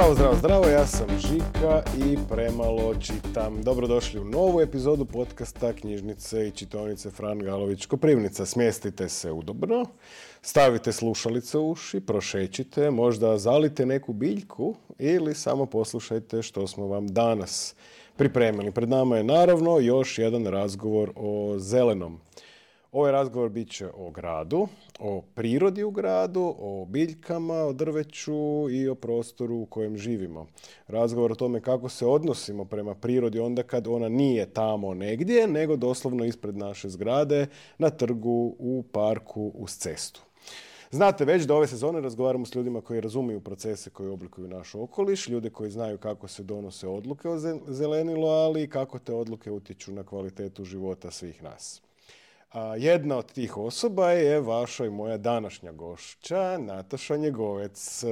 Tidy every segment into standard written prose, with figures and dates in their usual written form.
Zdravo, zdravo, zdravo, ja sam Žika i premalo čitam. Dobrodošli u novu epizodu podcasta Knjižnice i čitaonice Fran Galović Koprivnica. Smjestite se udobno, stavite slušalice u uši, prošećite, možda zalite neku biljku ili samo poslušajte što smo vam danas pripremili. Pred nama je naravno još jedan razgovor o zelenom. Ovaj razgovor bit će o gradu, o prirodi u gradu, o biljkama, o drveću i o prostoru u kojem živimo. Razgovor o tome kako se odnosimo prema prirodi onda kad ona nije tamo negdje, nego doslovno ispred naše zgrade, na trgu, u parku, uz cestu. Znate već da ove sezone razgovaramo s ljudima koji razumiju procese koji oblikuju naš okoliš, ljude koji znaju kako se donose odluke o zelenilu, ali i kako te odluke utječu na kvalitetu života svih nas. Jedna od tih osoba je vaša i moja današnja gošća, Nataša Njegovec.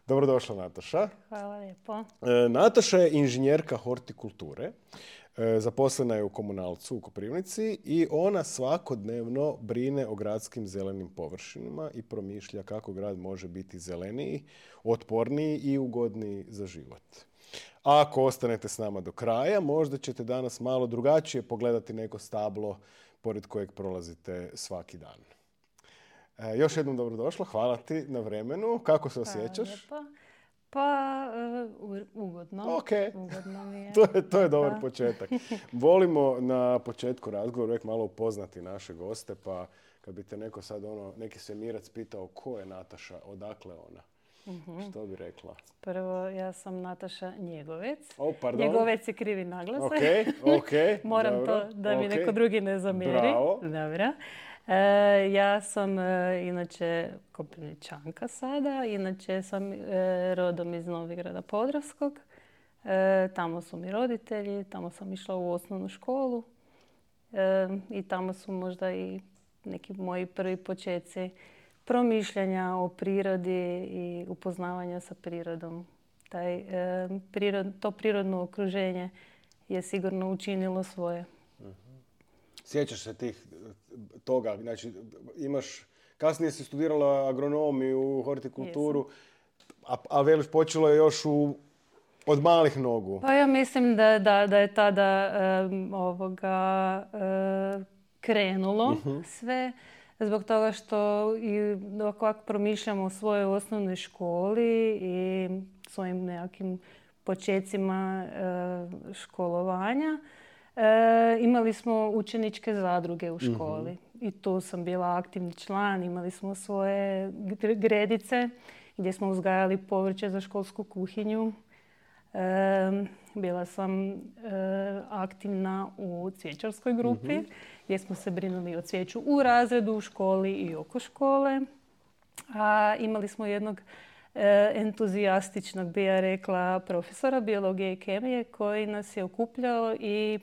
Dobrodošla, Nataša. Hvala lijepo. Nataša je inženjerka hortikulture, zaposlena je u Komunalcu u Koprivnici i ona svakodnevno brine o gradskim zelenim površinama i promišlja kako grad može biti zeleniji, otporniji i ugodniji za život. Ako ostanete s nama do kraja, možda ćete danas malo drugačije pogledati neko stablo pored kojeg prolazite svaki dan. Još jednom dobrodošla, hvala ti na vremenu. Kako se osjećaš? Ugodno. Okay. Ugodno mi je. To je dobar početak. Volimo na početku razgovora uvijek malo upoznati naše goste, pa kad bi te neko sad neki svemirac pitao ko je Nataša, odakle ona? Što bi rekla? Prvo, ja sam Nataša Njegovec. Pardon. Njegovec je krivi naglasak. Ok. Moram dobro, to da mi neko drugi ne zamjeri. Bravo. Dobro. Ja sam inače Koprivničanka sada. Inače sam rodom iz Novigrada Podravskog. Tamo su mi roditelji. Tamo sam išla u osnovnu školu. I tamo su možda i neki moji prvi počeci promišljanja o prirodi i upoznavanja sa prirodom. To prirodno okruženje je sigurno učinilo svoje. Sjećaš se toga? Znači, kasnije si studirala agronomiju, hortikulturu, a veliš počelo je još od malih nogu. Pa ja mislim da je tada krenulo sve. Zbog toga što i kako promišljamo o svojoj osnovnoj školi i svojim nekakvim počecima školovanja, imali smo učeničke zadruge u školi. I tu sam bila aktivni član, imali smo svoje gredice gdje smo uzgajali povrće za školsku kuhinju. Bila sam aktivna u cvijećarskoj grupi gdje smo se brinuli o cvijeću u razredu, u školi i oko škole. A imali smo jednog entuzijastičnog, bi ja rekla, profesora biologije i kemije koji nas je okupljao i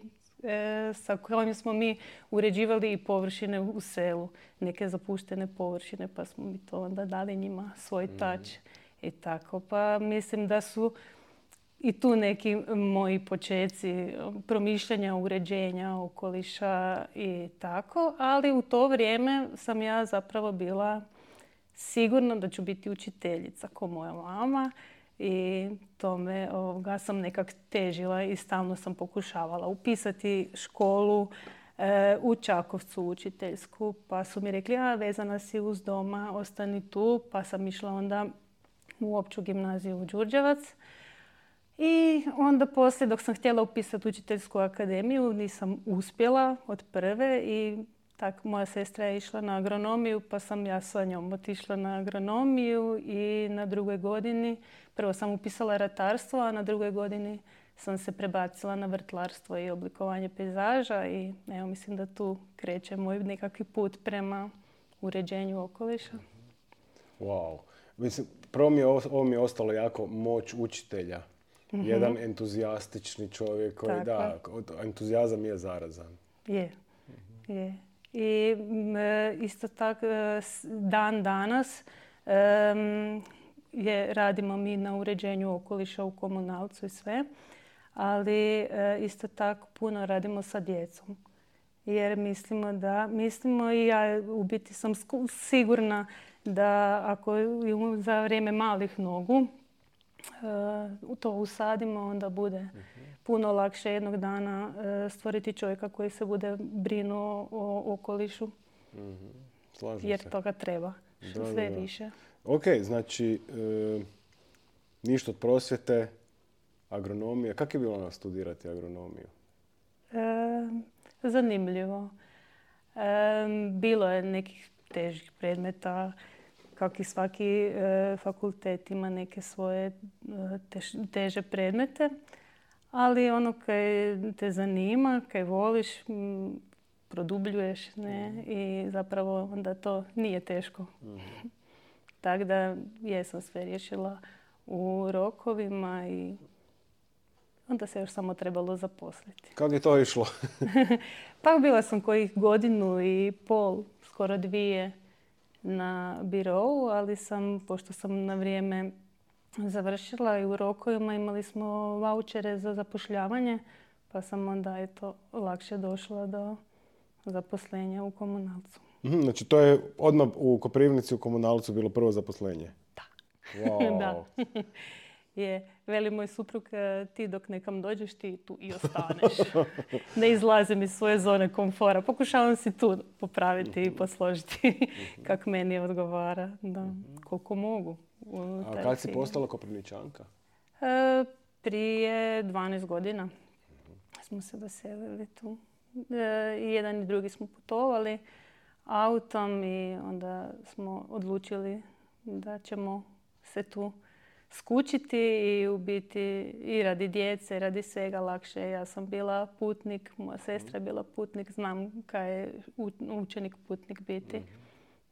sa kojim smo mi uređivali i površine u selu. Neke zapuštene površine, pa smo mi to onda dali njima svoj tač i tako. Pa mislim da su i tu neki moji počeci promišljanja, uređenja, okoliša i tako. Ali u to vrijeme sam ja zapravo bila sigurna da ću biti učiteljica ko moja mama. I tome sam nekak težila i stalno sam pokušavala upisati školu u Čakovcu učiteljsku. Pa su mi rekli, vezana si uz doma, ostani tu. Pa sam išla onda u opću gimnaziju u Đurđevac. I onda poslije, dok sam htjela upisati učiteljsku akademiju, nisam uspjela od prve i tako moja sestra je išla na agronomiju, pa sam ja sa njom otišla na agronomiju i na drugoj godini, prvo sam upisala ratarstvo, a na drugoj godini sam se prebacila na vrtlarstvo i oblikovanje pejzaža i evo, mislim da tu kreće moj nekakvi put prema uređenju okoliša. Wow. Mislim, prvo ovo mi je ostalo jako moć učitelja. Jedan entuzijastični čovjek koji, entuzijazam je zarazan. Je. I isto tako dan danas radimo mi na uređenju okoliša u Komunalcu i sve, ali isto tako puno radimo sa djecom. Jer mislimo i ja u biti sam sigurna da ako za vrijeme malih nogu to usadimo, onda bude puno lakše jednog dana stvoriti čovjeka koji se bude brinuo o okolišu. Slažem jer se. toga treba. Sve više. Ok, znači ništa od prosvjete, agronomija. Kako je bilo studirati agronomiju? Zanimljivo. Bilo je nekih težih predmeta, kako i svaki fakultet ima neke svoje teže predmete, ali ono kaj te zanima, kaj voliš, produbljuješ, ne? I zapravo onda to nije teško. Tako da jesam sve riješila u rokovima i onda se još samo trebalo zaposliti. Kako je to išlo? Pa bila sam kojih 1.5 godinu, skoro 2 na birovu, ali pošto sam na vrijeme završila i u rokovima, imali smo vaučere za zapošljavanje, pa sam onda lakše došla do zaposlenja u komunalcu. Znači to je odmah u Koprivnici u komunalcu bilo prvo zaposlenje? Da. Wow. Da. Veli moj suprug, ti dok nekam dođeš, ti tu i ostaneš. Ne izlazim iz svoje zone komfora. Pokušavam si tu popraviti i posložiti kako meni odgovara. Da, koliko mogu. A kad si postala Koprivničanka? Prije 12 godina smo se doselili tu. I jedan i drugi smo putovali autom i onda smo odlučili da ćemo se tu skučiti i u biti i radi djece, radi svega lakše. Ja sam bila putnik, moja sestra je bila putnik, znam kaj je učenik putnik biti.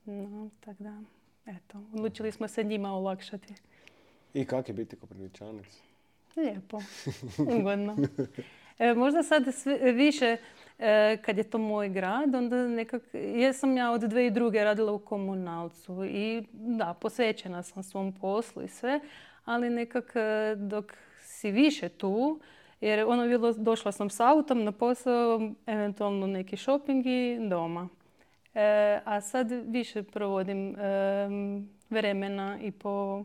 No, tako da, eto, odlučili smo se njima olakšati. I kak je biti Koprivničanac? Lijepo, ugodno. Možda sad više, kad je to moj grad, onda nekako, jesam ja od 2002. radila u komunalcu i da, posvećena sam svom poslu i sve, ali nekako dok si više tu, jer došla sam s autom na posao, eventualno neki shopping i doma. A sad više provodim vremena i po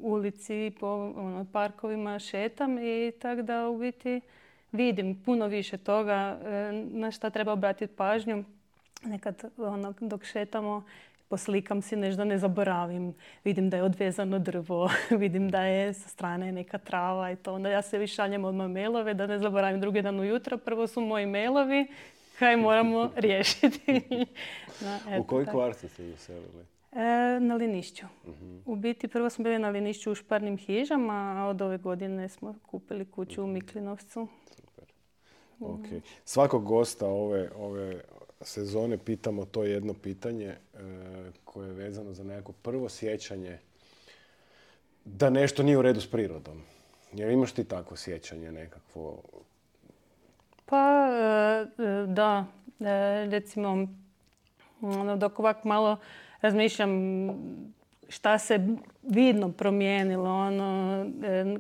ulici, po parkovima šetam i tako da u biti vidim puno više toga na šta treba obratiti pažnju. Nekad dok šetamo poslikam si nešto da ne zaboravim. Vidim da je odvezano drvo, vidim da je sa strane neka trava i to. Onda ja se šaljem odmah mailove da ne zaboravim drugi dan ujutro. Prvo su moji mailovi, kaj moramo riješiti. U koji kvart ste se doselili? Na Linišću. U biti prvo smo bili na Linišću u Šparnim hižama, a od ove godine smo kupili kuću u Miklinovcu. Super. Okay. Svakog gosta ove sezone pitamo to jedno pitanje koje je vezano za nekako prvo sjećanje da nešto nije u redu s prirodom. Jer imaš ti takvo sjećanje nekakvo? Pa da, recimo dok ovako malo razmišljam šta se vidno promijenilo,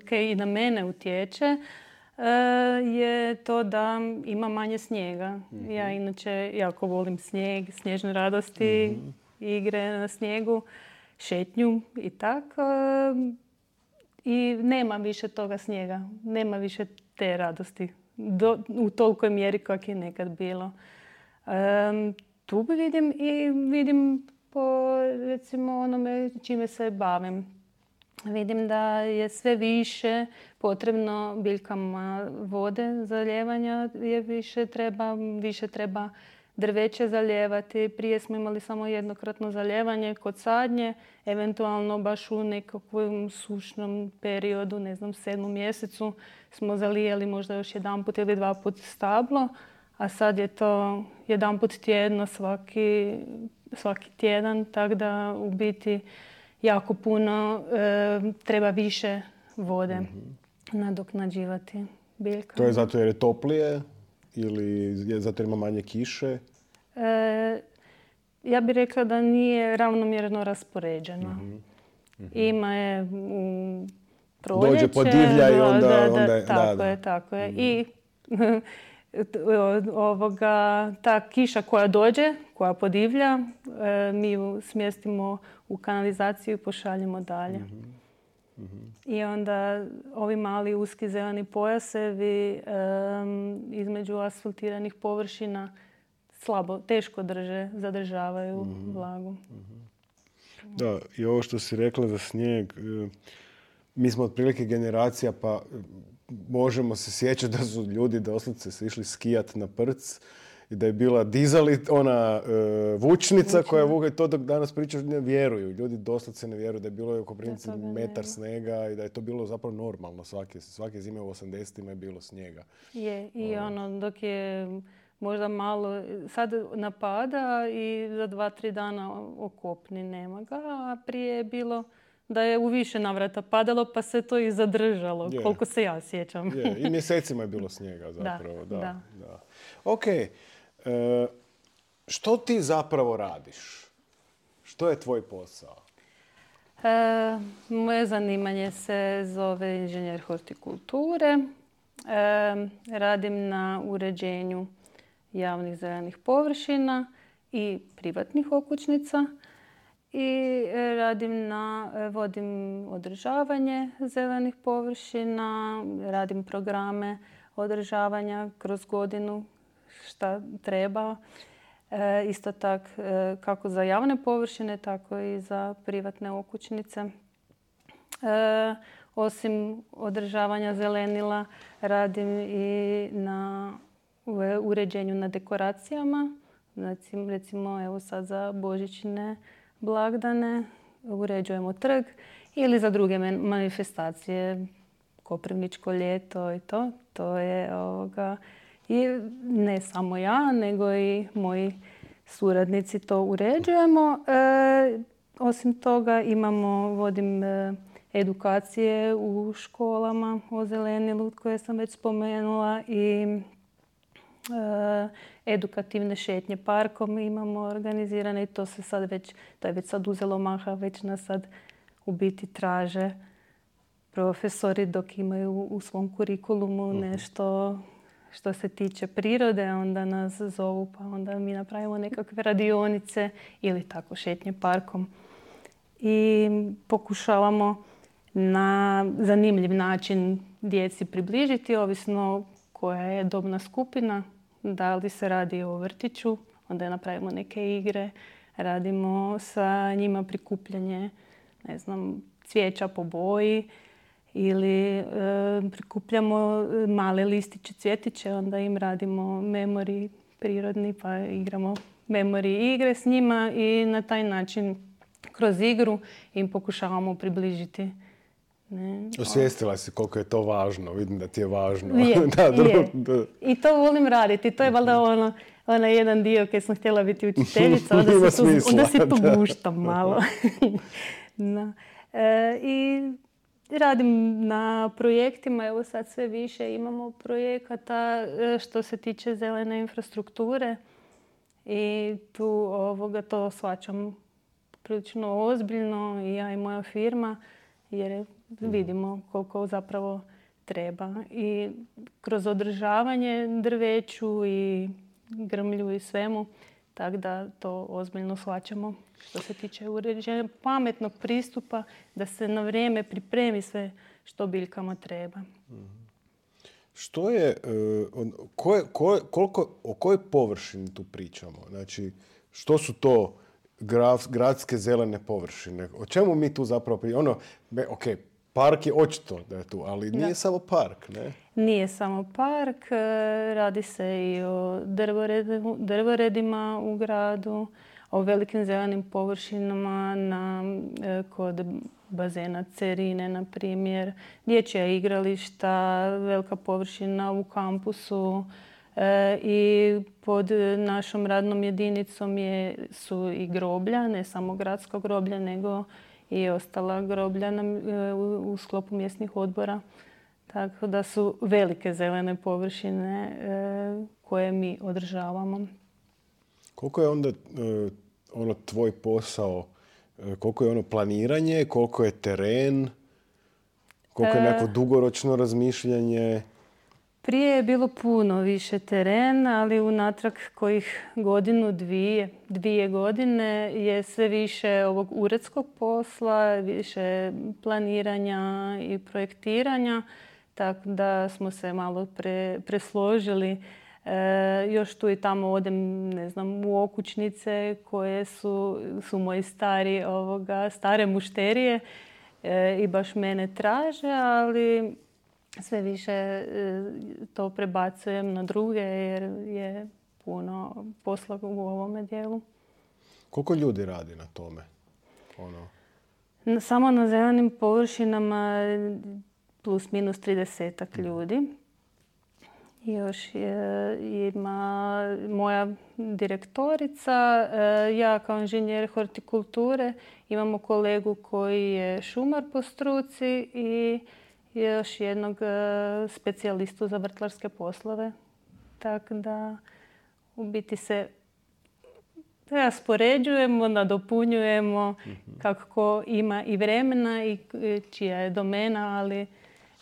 kaj i na mene utječe, je to da ima manje snijega. Ja inače jako volim snijeg, snježne radosti, igre na snijegu, šetnju i tako. I nema više toga snijega, nema više te radosti u tolikoj mjeri kako je nekad bilo. Tu vidim po recimo onome čime se bavim. Vidim da je sve više potrebno biljkama vode zalijevanja, više treba drveće zalijevati. Prije smo imali samo jednokratno zalijevanje kod sadnje, eventualno baš u nekakvom sušnom periodu, 7. mjesecu smo zalijeli možda još 1 ili 2 puta stablo, a sad je to 1 put tjedno, svaki tjedan, tako da u biti jako puno treba više vode nadoknađivati biljkama. To je zato jer je toplije ili je zato jer ima manje kiše? Ja bih rekla da nije ravnomjerno raspoređeno. Ima je u proljeće. Dođe podivlja i onda... Tako je. I ta kiša koja dođe, koja podivlja, mi ju smjestimo u kanalizaciju i pošaljemo dalje. I onda ovi mali uski zeleni pojasevi između asfaltiranih površina teško zadržavaju vlagu. Da, i ovo što si rekla za snijeg, mi smo otprilike generacija, pa možemo se sjećati da su ljudi doslovce se išli skijat na prc i da je bila ona vučnica koja vuga, to dok danas pričaš ne vjeruju. Ljudi doslovce ne vjeruju da je bilo oko princi metar snijega i da je to bilo zapravo normalno. Svake zime u 80-ima je bilo snijega. Je, i dok je možda malo, sad napada i za 2-3 dana okopni, nema ga, a prije je bilo da je u više navrata padalo pa se to i zadržalo, koliko se ja sjećam. I mjesecima je bilo snijega zapravo. Da. Ok, što ti zapravo radiš? Što je tvoj posao? Moje zanimanje se zove inženjer hortikulture. Radim na uređenju javnih zelenih površina i privatnih okućnica i vodim održavanje zelenih površina, radim programe održavanja kroz godinu šta treba. Isto tako kako za javne površine, tako i za privatne okućnice. Osim održavanja zelenila, radim i na uređenju na dekoracijama. Recimo, evo sad za božićne blagdane uređujemo trg ili za druge manifestacije, Koprivničko ljeto i to. To je i ne samo ja, nego i moji suradnici to uređujemo. Osim toga vodim edukacije u školama o zelenilu koje sam već spomenula i edukativne šetnje parkom imamo organizirane i to je već sad uzelo maha, već nas sad u biti traže profesori dok imaju u svom kurikulumu nešto što se tiče prirode, onda nas zovu pa onda mi napravimo nekakve radionice ili tako šetnje parkom. I pokušavamo na zanimljiv način djeci približiti, ovisno koja je dobna skupina. Da li se radi o vrtiću, onda napravimo neke igre, radimo sa njima prikupljanje, cvijeća po boji ili prikupljamo male listiće, cvjetiće, onda im radimo memori prirodni pa igramo memori igre s njima i na taj način kroz igru im pokušavamo približiti. Osvijestila si koliko je to važno, vidim da ti je važno. I to volim raditi. To je valjda onaj jedan dio kad sam htjela biti učiteljica, onda se poguštam malo. I radim na projektima, evo sad sve više imamo projekata što se tiče zelene infrastrukture i tu to shvaćam prilično ozbiljno i ja i moja firma jer vidimo koliko zapravo treba. I kroz održavanje drveću i grmlju i svemu, tako da to ozbiljno shvaćamo što se tiče uređenja pametnog pristupa, da se na vrijeme pripremi sve što biljkama treba. Što je, o kojoj površini tu pričamo? Znači, što su to gradske zelene površine? O čemu mi tu zapravo pričamo? Park je očito da je tu, ali nije samo park, ne? Nije samo park, radi se i o drvoredima u gradu, o velikim zelenim površinama kod bazena Cerine, na primjer, dječja igrališta, velika površina u kampusu i pod našom radnom jedinicom su i groblja, ne samo gradska groblja, nego i ostala groblja u sklopu mjesnih odbora. Tako da su velike zelene površine koje mi održavamo. Koliko je onda tvoj posao, koliko je planiranje, koliko je teren, koliko je neko dugoročno razmišljanje? Prije je bilo puno više terena, ali unatrag kojih godinu, dvije godine je sve više ovog uredskog posla, više planiranja i projektiranja, tako da smo se malo presložili. Još tu i tamo odem, ne znam, u okućnice koje su moji stare mušterije i baš mene traže, ali sve više to prebacujem na druge jer je puno posla u ovome dijelu. Koliko ljudi radi na tome? Samo na zelenim površinama plus minus 30 ljudi. Još ima moja direktorica, ja kao inženjer hortikulture, imamo kolegu koji je šumar po struci i još jednog specijalistu za vrtlarske poslove. Tako da u biti se raspoređujemo, nadopunjujemo kako ima i vremena i čija je domena, ali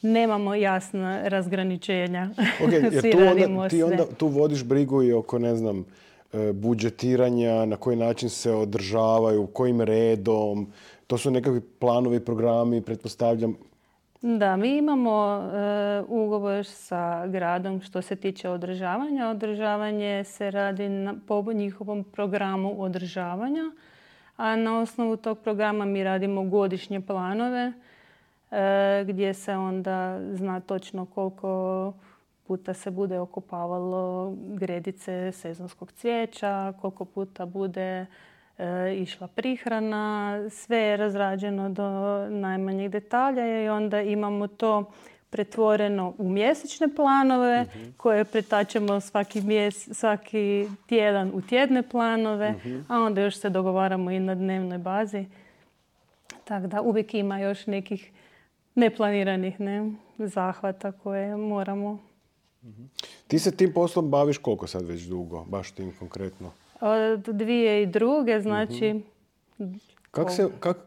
nemamo jasna razgraničenja. Okay, jer ti onda tu vodiš brigu i oko, ne znam, budžetiranja, na koji način se održavaju, kojim redom. To su nekakvi planovi, programi, pretpostavljam. Da, mi imamo ugovor sa gradom što se tiče održavanja. Održavanje se radi po njihovom programu održavanja, a na osnovu tog programa mi radimo godišnje planove gdje se onda zna točno koliko puta se bude okopavalo gredice sezonskog cvijeća, koliko puta bude išla prihrana, sve je razrađeno do najmanjih detalja i onda imamo to pretvoreno u mjesečne planove koje pretačemo svaki tjedan u tjedne planove, a onda još se dogovaramo i na dnevnoj bazi. Tako da uvijek ima još nekih neplaniranih zahvata koje moramo. Ti se tim poslom baviš koliko sad već dugo, baš tim konkretno? Od 2002. znači...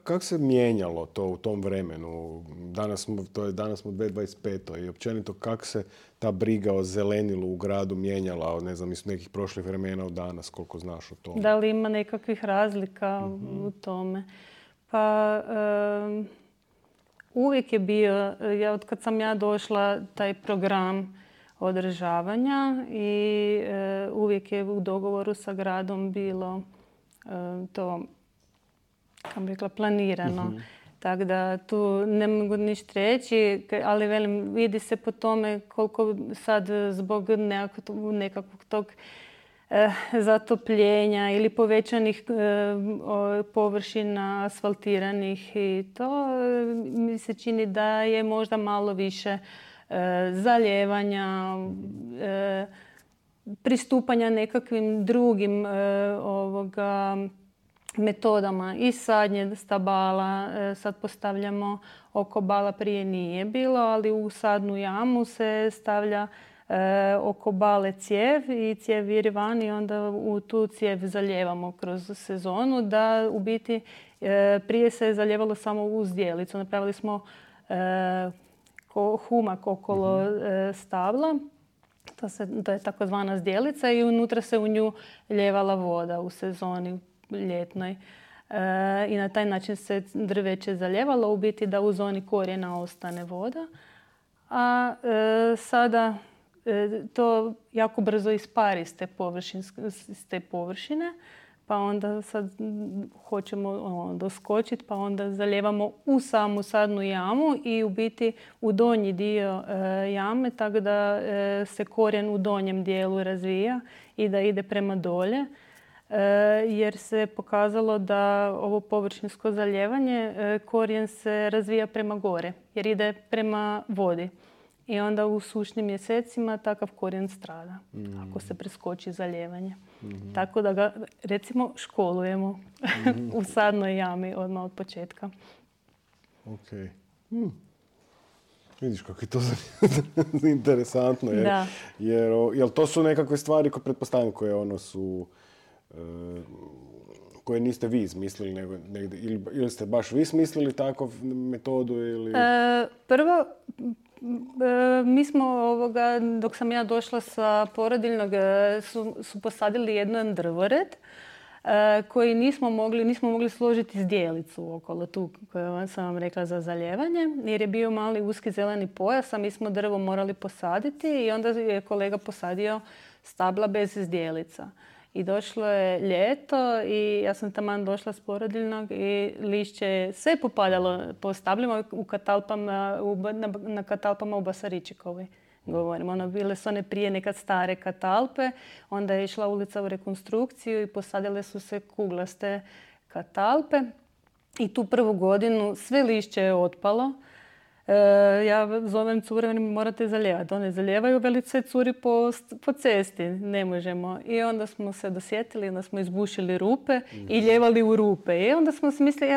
Kako se mijenjalo to u tom vremenu? Danas smo u 2025. I općenito kako se ta briga o zelenilu u gradu mijenjala, ne znam, iz nekih prošlih vremena od danas, koliko znaš o tome? Da li ima nekakvih razlika u tome? Pa uvijek je bio, od kad sam ja došla, taj program održavanja i uvijek je u dogovoru sa gradom bilo to, kako bih rekla, planirano. Tako da tu ne mogu ništa reći, ali velim, vidi se po tome koliko sad zbog nekakvog tog zatopljenja ili povećanih površina asfaltiranih i to mi se čini da je možda malo više zalijevanja, pristupanja nekakvim drugim metodama i sadnje stabala. Sad postavljamo oko bala, prije nije bilo, ali u sadnu jamu se stavlja oko bale cijev i cijev viri van i onda u tu cijev zalijevamo kroz sezonu, da u biti prije se je zalijevalo samo uz zdjelicu. Napravili smo humak okolo stabla. To je takozvana zdjelica i unutra se u nju ljevala voda u sezoni ljetnoj. I na taj način se drveće zaljevalo, u biti da u zoni korijena ostane voda. A sada to jako brzo ispari s te površine, pa onda sad hoćemo doskočiti, pa onda zalijevamo u samu sadnu jamu i u biti u donji dio jame, tako da se korijen u donjem dijelu razvija i da ide prema dolje. Jer se pokazalo da ovo površinsko zalijevanje, korijen se razvija prema gore, jer ide prema vodi. I onda u sušnim mjesecima takav korijen strada ako se preskoči zalijevanje. Tako da ga, recimo, školujemo u sadnoj jami odmah od početka. Ok. Vidiš kako je to interesantno. Jer to su nekakve stvari koje pretpostavljam koje su... koje niste vi izmislili, nego negdje, ili ste baš vi smislili takvu metodu? Ili... Prvo, Mi smo dok sam ja došla sa porodiljnog, su posadili jedan drvored koji nismo mogli složiti zdjelicu okolo tu koju sam vam rekla za zaljevanje, jer je bio mali uski zeleni pojas, a mi smo drvo morali posaditi i onda je kolega posadio stabla bez zdjelica. I došlo je ljeto i ja sam taman došla s porodiljnog i lišće je sve popadalo po stablima na katalpama u Basaričikovoj. Govorim, bile su one prije nekad stare katalpe, onda je išla ulica u rekonstrukciju i posadile su se kuglaste katalpe. I tu prvu godinu sve lišće je otpalo. Ja zovem cure, morate zalijevati. One zalijevaju, velice curi po cesti. Ne možemo. I onda smo se dosjetili, onda smo izbušili rupe i ljevali u rupe. I onda smo si mislili,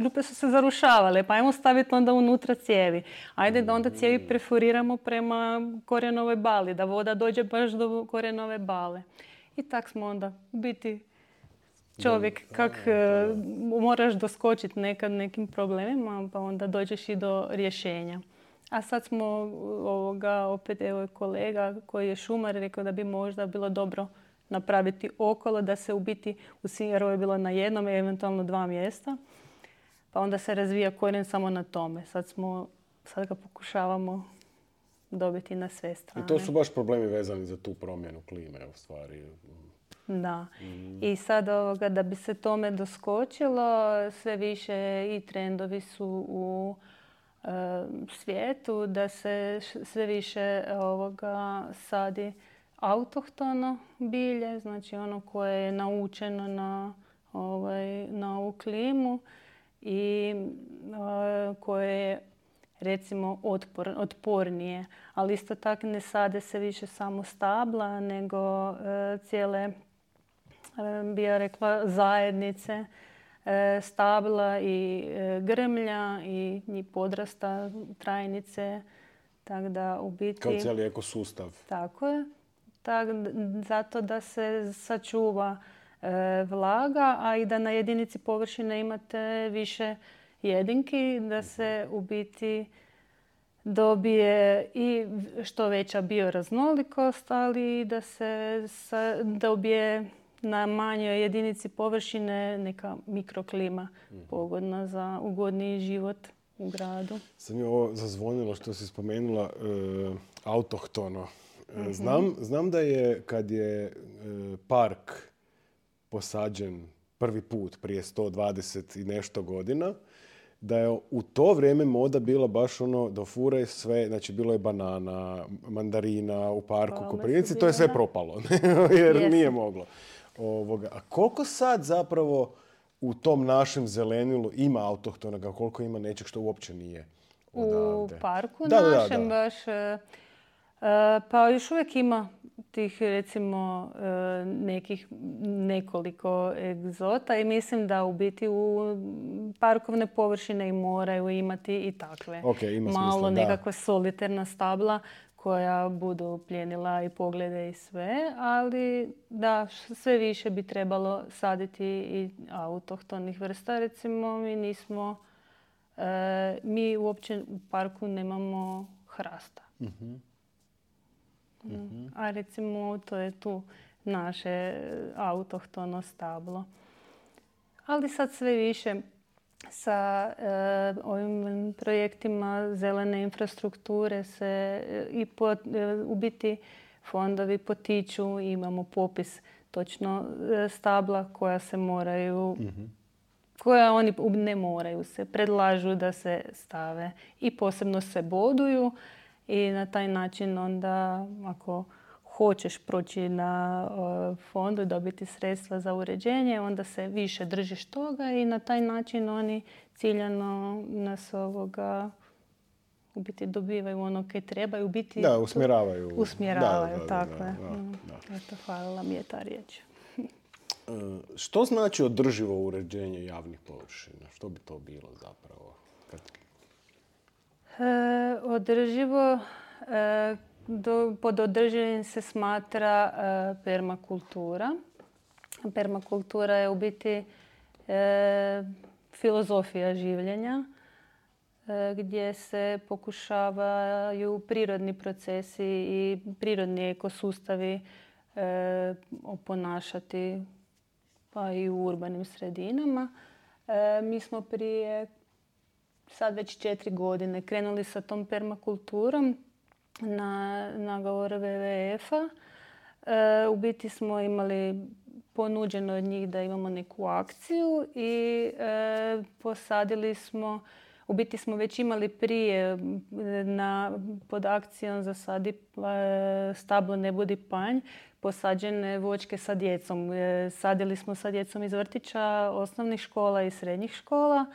rupe su se zarušavale, pa ajmo staviti onda unutra cijevi. Ajde da onda cijevi perforiramo prema korenove bali, da voda dođe baš do korenove bale. I tak smo onda u biti čovjek moraš doskočiti nekad nekim problemima, pa onda dođeš i do rješenja. A sad smo opet kolega koji je šumar rekao da bi možda bilo dobro napraviti okolo, da se u biti u Sinjaru je bilo na jednom, eventualno 2 mjesta. Pa onda se razvija korijen samo na tome. Sad ga pokušavamo dobiti na sve strane. I to su baš problemi vezani za tu promjenu klime u stvari. Da. I sad da bi se tome doskočilo, sve više i trendovi su u svijetu da se sve više sadi autohtono bilje, znači ono koje je naučeno na ovu klimu i koje je recimo otpornije. Ali isto tako ne sade se više samo stabla, nego cijele, bi ja rekla, zajednice stabla i grmlja i podrasta trajnice. Tak da u biti, kao cijeli ekosustav. Tako je. Zato da se sačuva vlaga, a i da na jedinici površine imate više jedinki, da se u biti dobije i što veća bioraznolikost, ali i da se dobije na manjoj jedinici površine neka mikroklima pogodna za ugodniji život u gradu. Sam je ovo zazvonilo što si spomenula autohtono. Znam da je kad je park posađen prvi put prije 120 i nešto godina, da je u to vrijeme moda bila baš da furaj sve, znači bilo je banana, mandarina u parku Koprivnici, to je sve propalo, jer nije moglo. A koliko sad zapravo u tom našem zelenilu ima autohtonoga, koliko ima nečeg što uopće nije odavde? U parku našem baš, pa još uvijek ima tih recimo nekoliko egzota i mislim da u biti u parkovne površine i moraju imati i takve malo nekakve solitarna stabla koja budu plijenila i poglede i sve, ali da, sve više bi trebalo saditi i autohtonih vrsta. Recimo mi uopće u parku nemamo hrasta. A recimo to je tu naše autohtono stablo. Ali sad sve više sa ovim projektima zelene infrastrukture se u biti fondovi potiču. Imamo popis točno stabla koja se moraju, koja oni ne moraju se, predlažu da se stave i posebno se boduju. I na taj način onda, ako hoćeš proći na fondu i dobiti sredstva za uređenje, onda se više držiš toga i na taj način oni ciljano nas u biti dobivaju ono kaj trebaju biti. Da, usmjeravaju. Usmjeravaju, tako je. Eto, hvala mi je ta riječ. Što znači održivo uređenje javnih površina? Što bi to bilo zapravo? Održivo, pod održivim se smatra permakultura. Permakultura je u biti filozofija življenja. gdje se pokušavaju prirodni procesi i prirodni ekosustavi oponašati pa i u urbanim sredinama. Mi smo prije sad već 4 godine krenuli sa tom permakulturom na nagovor WWF-a. U biti smo imali ponuđeno od njih da imamo neku akciju i posadili smo, u biti smo već imali prije pod akcijom Zasadi stablo, ne budi panj, posađene voćke sa djecom. Sadili smo sa djecom iz vrtića, osnovnih škola i srednjih škola,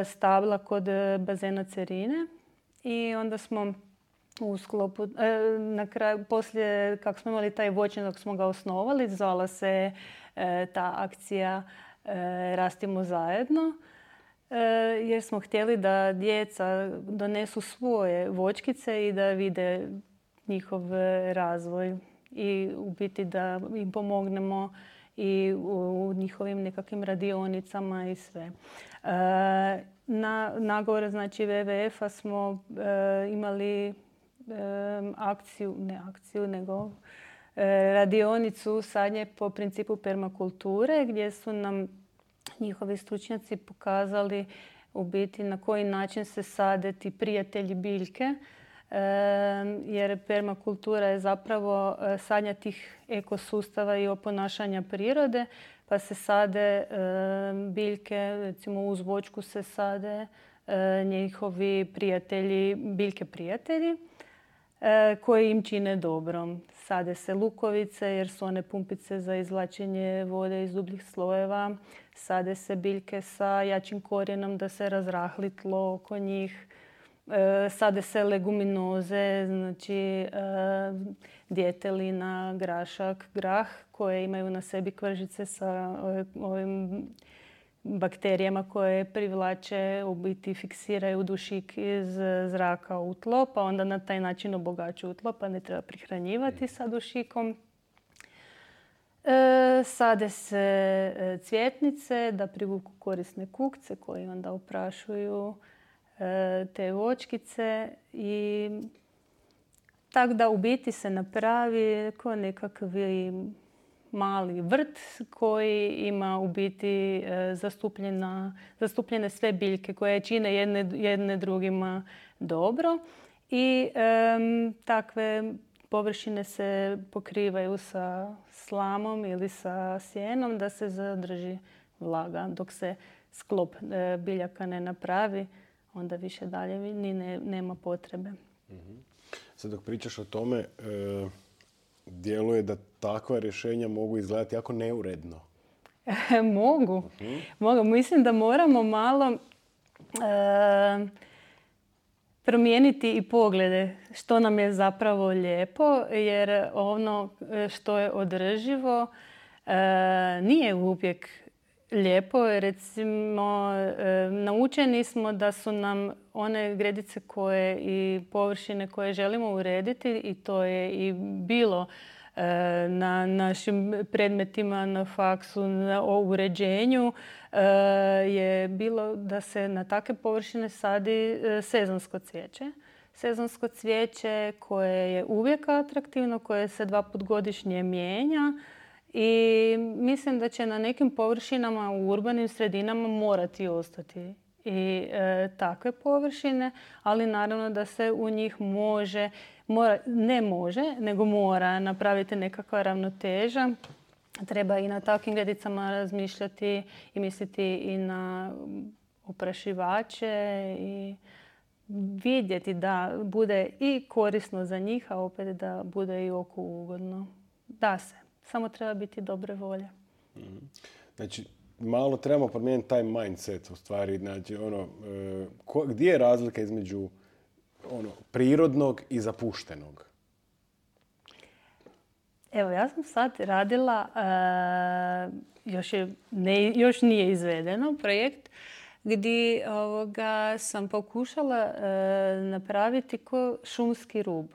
stabla kod bazena Cerine i onda smo u sklopu, na kraju, poslije kako smo imali taj voćnjak dok smo ga osnovali, zvala se ta akcija Rastimo zajedno, jer smo htjeli da djeca donesu svoje voćkice i da vide njihov razvoj i u biti da im pomognemo i u njihovim nekakvim radionicama i sve. Na nagovor znači WWF-a smo imali nego radionicu sadnje po principu permakulture gdje su nam njihovi stručnjaci pokazali u biti na koji način se sade ti prijatelji biljke, jer permakultura je zapravo sadnja tih ekosustava i oponašanja prirode, pa se sade biljke, recimo uz voćku se sade njihovi prijatelji, biljke prijatelji koji im čine dobro. Sade se lukovice jer su one pumpice za izvlačenje vode iz dubljih slojeva. Sade se biljke sa jačim korijenom da se razrahli tlo oko njih. Sade se leguminoze, znači djetelina, grašak, grah koje imaju na sebi kvržice sa ovim bakterijama koje privlače, u biti fiksiraju dušik iz zraka u tlo, pa onda na taj način obogaćuju tlo, pa ne treba prihranjivati sa dušikom. Sade se cvjetnice da privuku korisne kukce koji onda oprašuju te voćkice i tako da u biti se napravi kao nekakvi mali vrt koji ima u biti zastupljene sve biljke koje čine jedne drugima dobro i takve površine se pokrivaju sa slamom ili sa sjenom da se zadrži vlaga. Dok se sklop biljaka ne napravi, onda više dalje ni nema potrebe. Sad dok pričaš o tome, djeluje da takva rješenja mogu izgledati jako neuredno. Mogu. Mislim da moramo malo promijeniti i poglede što nam je zapravo lijepo, jer ono što je održivo nije uvijek lijepo. Recimo, naučeni smo da su nam one gredice koje i površine koje želimo urediti, i to je i bilo na našim predmetima na faksu o uređenju, je bilo da se na takve površine sadi sezonsko cvijeće. Sezonsko cvijeće koje je uvijek atraktivno, koje se 2 puta godišnje mijenja. I mislim da će na nekim površinama u urbanim sredinama morati ostati i takve površine, ali naravno da se u njih nego mora napraviti nekakva ravnoteža. Treba i na takvim gredicama razmišljati i misliti i na oprašivače i vidjeti da bude i korisno za njih, a opet da bude i oku ugodno. Da se. Samo treba biti dobre volje. Znači, malo trebamo promijeniti taj mindset u stvari. Znači, gdje je razlika između prirodnog i zapuštenog? Evo, ja sam sad radila, još nije izvedeno projekt, gdje sam pokušala napraviti ko šumski rub.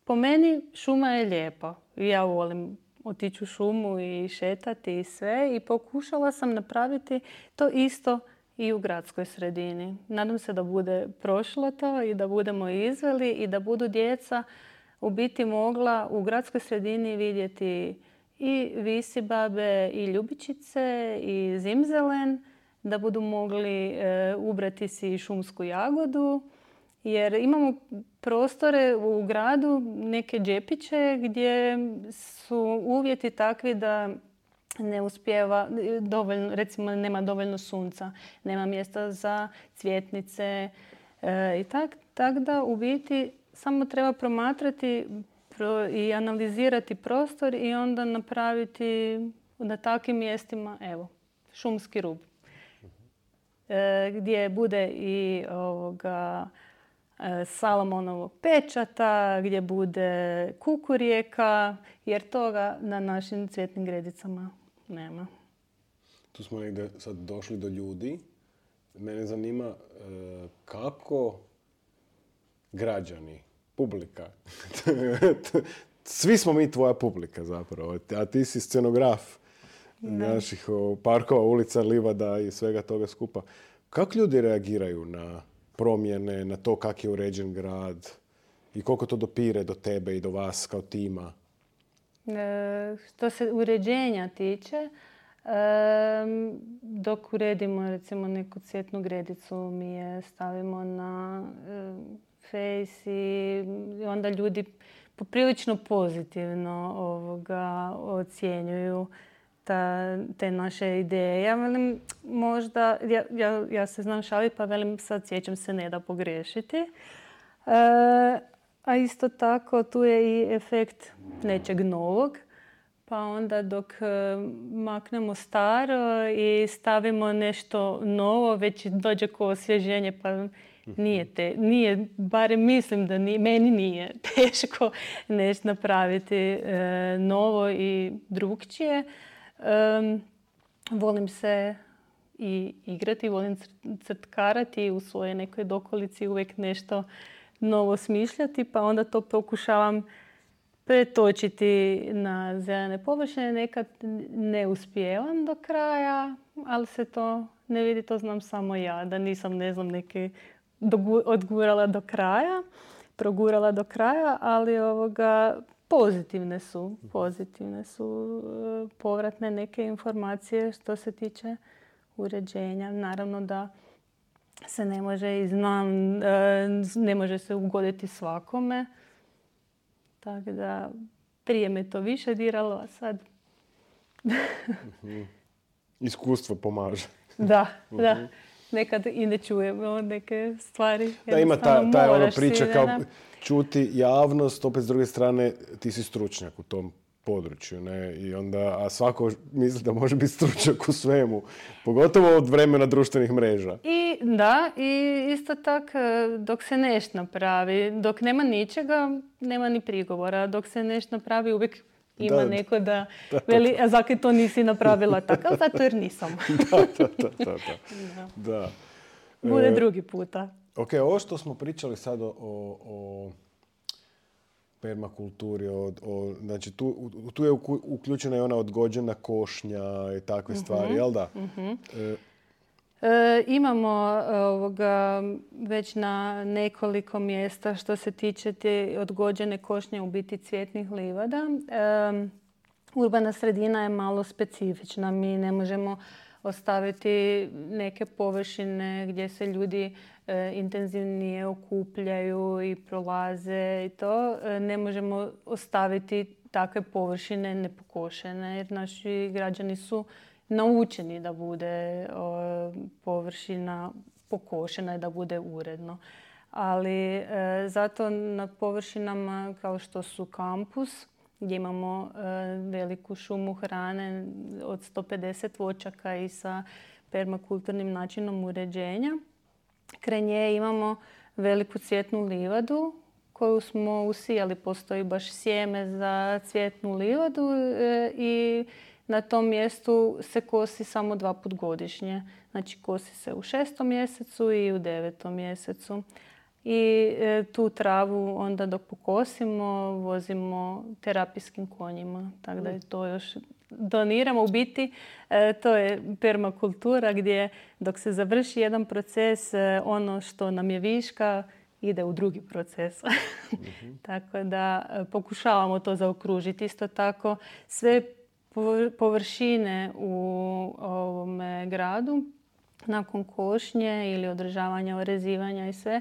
Po meni šuma je lijepa. Ja volim otići u šumu i šetati i sve. I pokušala sam napraviti to isto i u gradskoj sredini. Nadam se da bude prošlo to i da budemo izveli i da budu djeca u biti mogla u gradskoj sredini vidjeti i visibabe i ljubičice i zimzelen, da budu mogli ubrati si šumsku jagodu. Jer imamo prostore u gradu, neke džepiće gdje su uvjeti takvi da ne uspijeva dovoljno, recimo nema dovoljno sunca, nema mjesta za cvjetnice i tak da u biti samo treba promatrati i analizirati prostor i onda napraviti na takvim mjestima, evo, šumski rub. Gdje bude i Salomonovog pečata, gdje bude kukurijeka, jer toga na našim cvjetnim gredicama nema. Tu smo negdje sad došli do ljudi. Mene zanima kako građani, publika, svi smo mi tvoja publika zapravo, a ti si scenograf naših parkova, ulica, livada i svega toga skupa. Kako ljudi reagiraju na promjene, na to kak je uređen grad i koliko to dopire do tebe i do vas kao tima? Što se uređenja tiče, dok uredimo recimo neku cvjetnu gredicu, mi je stavimo na Face i onda ljudi poprilično pozitivno ocjenjuju te naše ideje. Ja velim, možda, ja se znam šaliti, pa velim, sad sjećam se, ne da pogriješiti. A isto tako tu je i efekt nečeg novog. Pa onda dok maknemo staro i stavimo nešto novo, već dođe ko osvježenje, pa nije, barem mislim da meni nije teško nešto napraviti novo i drugčije. Volim se i igrati, volim crtkarati u svojoj nekoj dokolici, uvijek nešto novo smišljati, pa onda to pokušavam pretočiti na zelene površine. Nekad ne uspijevam do kraja, ali se to ne vidi, to znam samo ja, da nisam, ne znam, neke odgurala do kraja, progurala do kraja, ali pozitivne su povratne neke informacije što se tiče uređenja. Naravno da se ne može i znam, ne može se ugoditi svakome. Tako da prije me to više diralo, a sad... Iskustvo pomaže. Da. Nekad i ne čujemo neke stvari. Da, ima ta priča kao čuti javnost, opet s druge strane ti si stručnjak u tom području, ne? I onda, a svako misli da može biti stručnjak u svemu, pogotovo od vremena društvenih mreža. I isto tako dok se nešto napravi, dok nema ničega, nema ni prigovora. Dok se nešto napravi, uvijek ima neko da veli, a zakaj to nisi napravila tako, zato jer nisam. Da. Bude drugi puta. Ok, ovo što smo pričali sad o permakulturi, znači tu je uključena i ona odgođena košnja i takve stvari, jel da? Imamo već na nekoliko mjesta što se tiče te odgođene košnje, u biti cvjetnih livada. Urbana sredina je malo specifična. Mi ne možemo ostaviti neke površine gdje se ljudi intenzivnije okupljaju i prolaze i to. Ne možemo ostaviti takve površine nepokošene jer naši građani su naučeni da bude površina pokošena i da bude uredno. Ali zato na površinama kao što su kampus, gdje imamo veliku šumu hrane od 150 voćaka i sa permakulturnim načinom uređenja, kraj nje imamo veliku cvjetnu livadu koju smo usijali. Postoji baš sjeme za cvjetnu livadu i na tom mjestu se kosi samo 2 puta godišnje. Znači kosi se u 6. mjesecu i u 9. mjesecu. I tu travu onda dok pokosimo vozimo terapijskim konjima. Tako da je to još doniramo. U biti to je permakultura gdje dok se završi jedan proces, ono što nam je viška ide u drugi proces. Tako da pokušavamo to zaokružiti. Isto tako sve površine u ovome gradu nakon košnje ili održavanja, orezivanja i sve,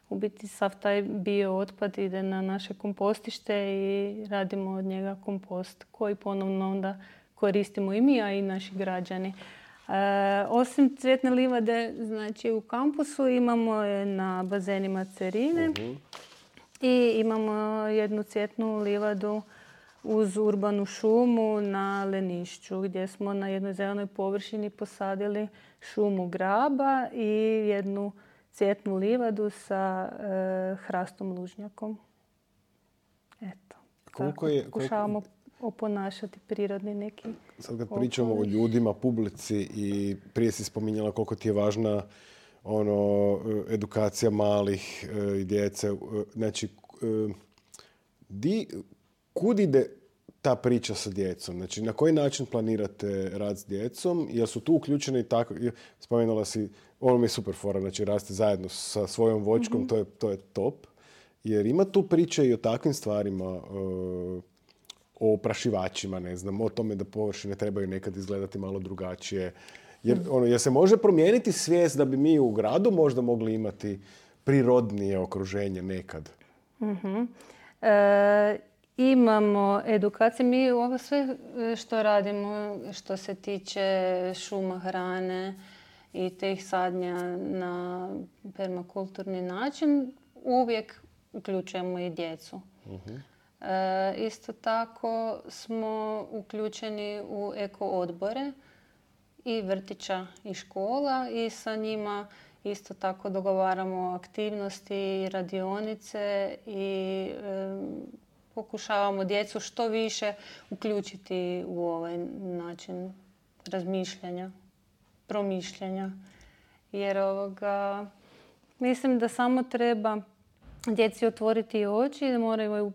u biti sav taj bio otpad ide na naše kompostište i radimo od njega kompost koji ponovno onda koristimo i mi, a i naši građani. Osim cvjetne livade, znači u kampusu imamo je na bazenima Cerine i imamo jednu cvjetnu livadu uz urbanu šumu na Lenišću, gdje smo na jednoj zelenoj površini posadili šumu graba i jednu cvjetnu livadu sa hrastom lužnjakom. Eto, tako pokušavamo oponašati prirodni neki. Sad kad pričamo o ljudima, publici i prije si spominjala koliko ti je važna edukacija malih i djece. Znači, kud ide ta priča sa djecom? Znači, na koji način planirate rad s djecom? Jel su tu uključeni i tako? Spomenula si, ono mi je super fora, znači raste zajedno sa svojom voćkom, to je top. Jer ima tu priče i o takvim stvarima, o oprašivačima, ne znam, o tome da površine trebaju nekad izgledati malo drugačije. Jer se može promijeniti svijest da bi mi u gradu možda mogli imati prirodnije okruženje nekad. Imamo edukacije. Mi ovo sve što radimo što se tiče šuma, hrane i tih sadnja na permakulturni način, uvijek uključujemo i djecu. Isto tako smo uključeni u eko odbore i vrtića i škola i sa njima isto tako dogovaramo aktivnosti i radionice i pokušavamo djecu što više uključiti u ovaj način razmišljanja, promišljanja. Jer mislim da samo treba djeci otvoriti oči i da moraju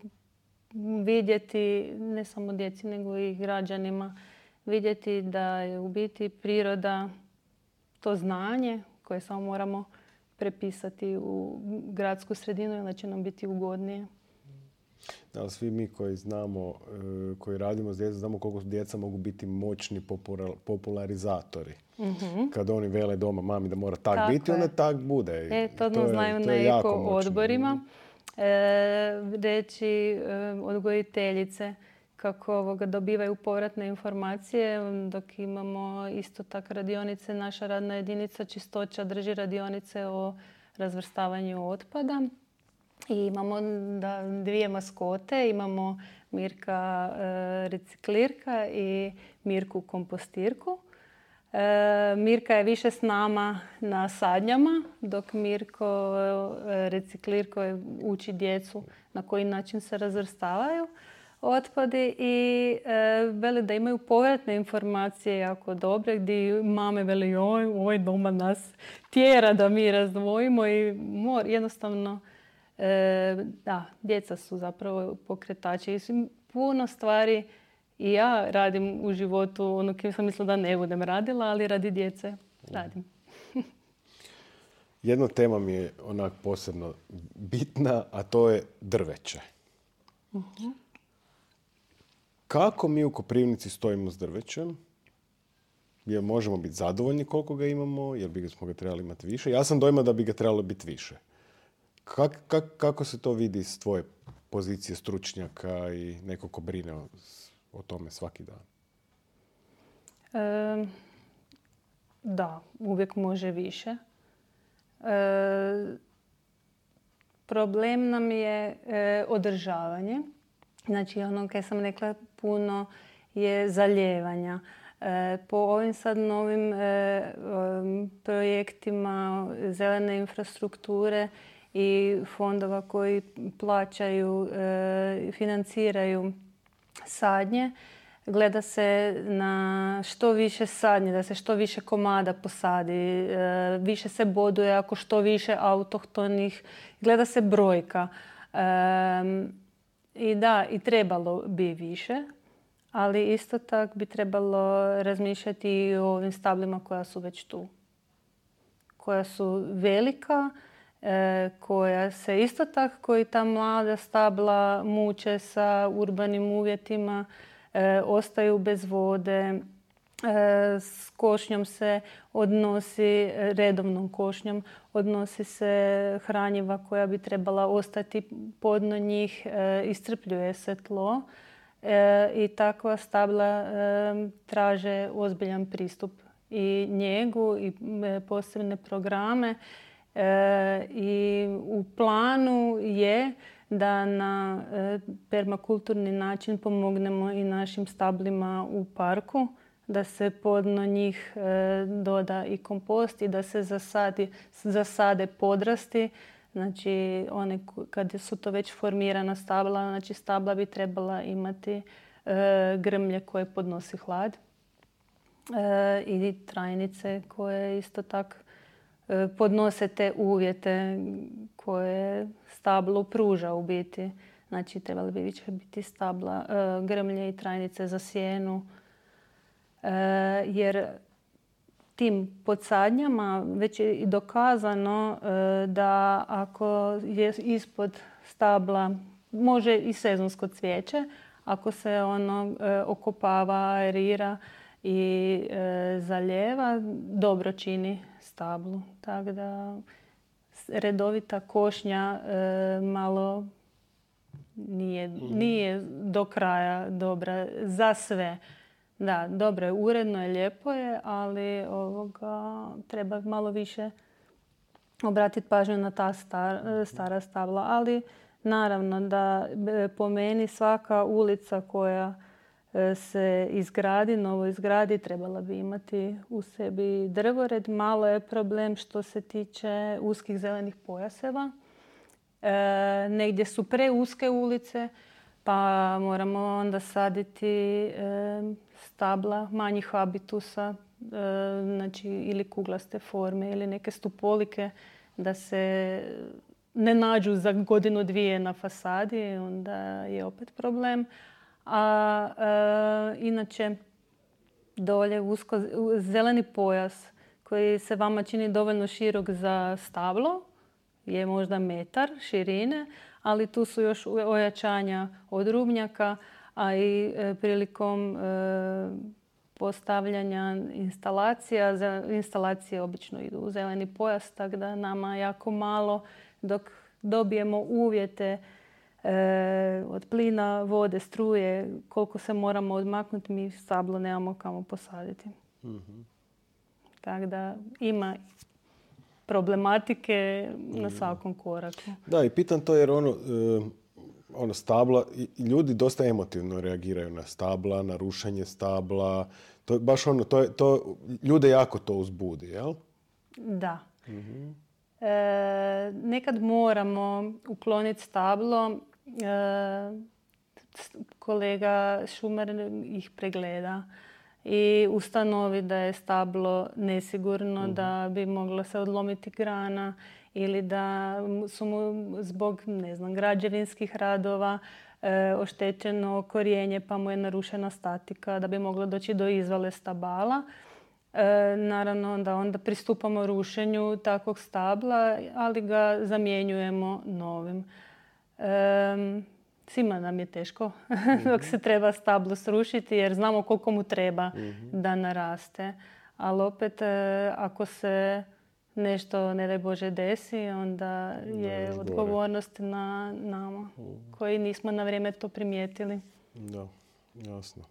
vidjeti, ne samo djeci nego i građanima, vidjeti da je u biti priroda to znanje koje samo moramo prepisati u gradsku sredinu jer će nam biti ugodnije. Da, svi mi koji znamo, koji radimo s djecom, znamo koliko djeca mogu biti moćni popularizatori. Kad oni vele doma mami da mora tak biti, onda tak bude. To znaju na eko odborima. Reći odgojiteljice kako dobivaju povratne informacije, dok imamo isto tako radionice. Naša radna jedinica Čistoća drži radionice o razvrstavanju otpada. I imamo dvije maskote, imamo Mirka reciklirka i Mirku kompostirku. Mirka je više s nama na sadnjama, dok Mirko reciklirko uči djecu na koji način se razvrstavaju otpadi i veli da imaju povratne informacije jako dobre gdje mame veli ovaj doma nas tjera da mi razdvojimo i jednostavno djeca su zapravo pokretači. Puno stvari i ja radim u životu, kim sam mislila da ne budem radila, ali radi djece radim. Jedna tema mi je onak posebno bitna, a to je drveće. Kako mi u Koprivnici stojimo s drvećem? Jer možemo biti zadovoljni koliko ga imamo, jer bismo ga trebali imati više. Ja sam dojma da bi ga trebalo biti više. Kako se to vidi s tvoje pozicije stručnjaka i neko ko brine o tome svaki dan? Da, uvijek može više. Problem nam je održavanje. Znači, ono kaj sam rekla, puno je zalijevanja. Po ovim sad novim projektima zelene infrastrukture i fondova koji plaćaju, financiraju sadnje, gleda se na što više sadnje, da se što više komada posadi, više se boduje ako što više autohtonih, gleda se brojka. I da, i trebalo bi više, ali isto tako bi trebalo razmišljati i o ovim stablima koja su već tu. Koja su velika, koja se isto tako, koji ta mlada stabla muče sa urbanim uvjetima, ostaju bez vode, s košnjom se odnosi, redovnom košnjom, odnosi se hranjiva koja bi trebala ostati podno njih, iscrpljuje se tlo i takva stabla traže ozbiljan pristup i njegu i posebne programe. I u planu je da na permakulturni način pomognemo i našim stablima u parku, da se podno njih doda i kompost i da se zasade podrasti. Znači, kad su to već formirana stabla, znači stabla bi trebala imati grmlje koje podnosi hlad i trajnice koje isto tako podnose te uvjete koje stablo pruža u biti. Znači, trebali bi više biti stabla, grmlje i trajnice za sjenu. Jer tim podsadnjama već je i dokazano da ako je ispod stabla, može i sezonsko cvijeće, ako se ono okopava, aerira i zalijeva, dobro čini stablu. Tako da redovita košnja malo nije do kraja dobra za sve. Da, dobro je, uredno je, lijepo je, ali treba malo više obratiti pažnju na ta stara stabla. Ali naravno da po meni svaka ulica koja se novo izgradi, trebala bi imati u sebi drvored. Malo je problem što se tiče uskih zelenih pojaseva. Negdje su preuske ulice, pa moramo onda saditi stabla manjih habitusa, znači ili kuglaste forme ili neke stupolike, da se ne nađu za godinu dvije na fasadi, onda je opet problem. A inače dolje zeleni pojas koji se vama čini dovoljno širok za stablo je možda metar širine, ali tu su još ojačanja od rubnjaka, a i prilikom postavljanja instalacije obično idu u zeleni pojas, tako da nama jako malo dok dobijemo uvjete od plina, vode, struje, koliko se moramo odmaknuti, mi stablo nemamo kamo posaditi. Mm-hmm. Tako da ima problematike na svakom koraku. Da, i pitam to jer stabla, ljudi dosta emotivno reagiraju na stabla, na rušenje stabla. To je baš ljude jako to uzbudi, jel? Da. Mm-hmm. Nekad moramo ukloniti stablo. Kolega šumar ih pregleda i ustanovi da je stablo nesigurno, da bi moglo se odlomiti grana ili da su mu zbog građevinskih radova oštećeno korijenje pa mu je narušena statika, da bi moglo doći do izvale stabala. Naravno da onda pristupamo rušenju takvog stabla, ali ga zamjenjujemo novim. Svima nam je teško dok se treba stablo srušiti jer znamo koliko mu treba da naraste. Ali opet ako se nešto, ne daj Bože, desi, onda je odgovornost na nama koji nismo na vrijeme to primijetili. Da, jasno.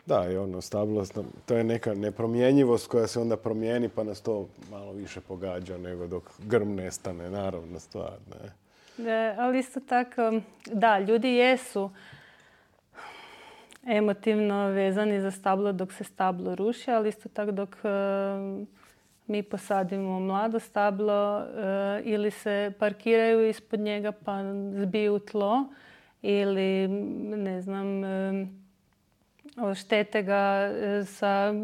Da, i stablo, to je neka nepromjenjivost koja se onda promijeni pa nas to malo više pogađa nego dok grm nestane, naravno stvar. Ne? Da, ali isto tako, da, ljudi jesu emotivno vezani za stablo dok se stablo ruši, ali isto tako dok mi posadimo mlado stablo ili se parkiraju ispod njega pa zbiju tlo ili oštete ga sa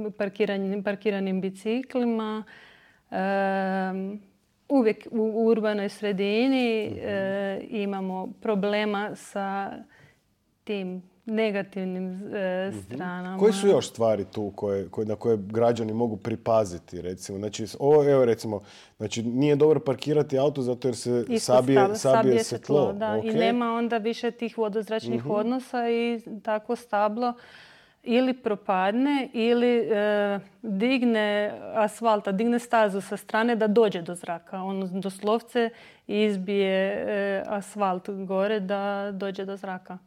parkiranim biciklima. Uvijek u urbanoj sredini imamo problema sa tim negativnim stranama. Koji su još stvari tu na koje građani mogu pripaziti, recimo? Znači, znači, nije dobro parkirati auto zato jer se sabije se tlo. Da. Okay. I nema onda više tih vodozračnih odnosa i tako stablo ili propadne ili digne asfalta, digne stazu sa strane da dođe do zraka. On doslovce izbije asfalt gore da dođe do zraka.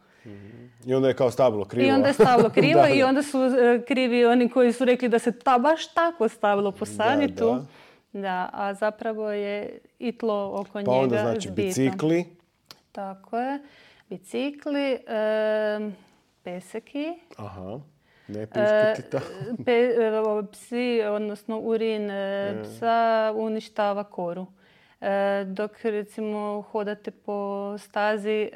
I onda je kao stablo krivo. I onda je stablo krivo i onda su krivi oni koji su rekli da se baš tako stablo posadi tu. Da, a zapravo je i tlo oko njega Pa onda znači zbito. bicikli. Tako je. Bicikli, peseki. Aha. Ne piškiti tako. Psi, odnosno urin psa uništava koru. Dok recimo hodate po stazi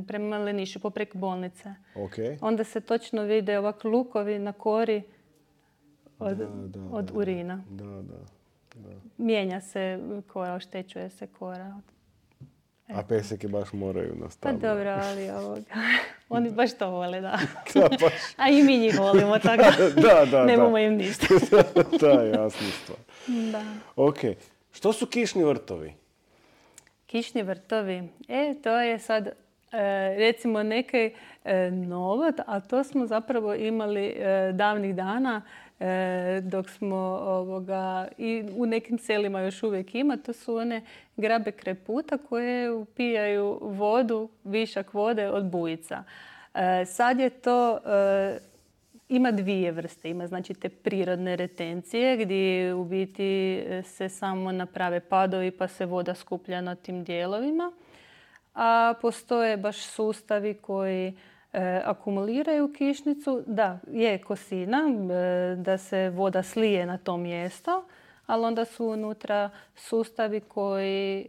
prema Lenišu, poprek bolnice. Okay. Onda se točno vide ovak lukovi na kori od urina. Da. Mijenja se kora, oštećuje se kora. A peseke baš moraju na stablo. Pa dobro, ali oni baš to vole, da. Da, baš. A i mi njih volimo, tako da nemamo im ništa. Da, jasna stvar. Da. Ok. Što su kišni vrtovi? Kišni vrtovi? To je sad recimo neki novo, a to smo zapravo imali davnih dana dok smo i u nekim selima još uvijek ima. To su one grabe kreputa koje upijaju vodu, višak vode od bujica. Sad je to... Ima dvije vrste. Ima znači te prirodne retencije gdje u biti se samo naprave padovi pa se voda skuplja na tim dijelovima. A postoje baš sustavi koji akumuliraju kišnicu. Da, je kosina da se voda slije na to mjesto, ali onda su unutra sustavi koji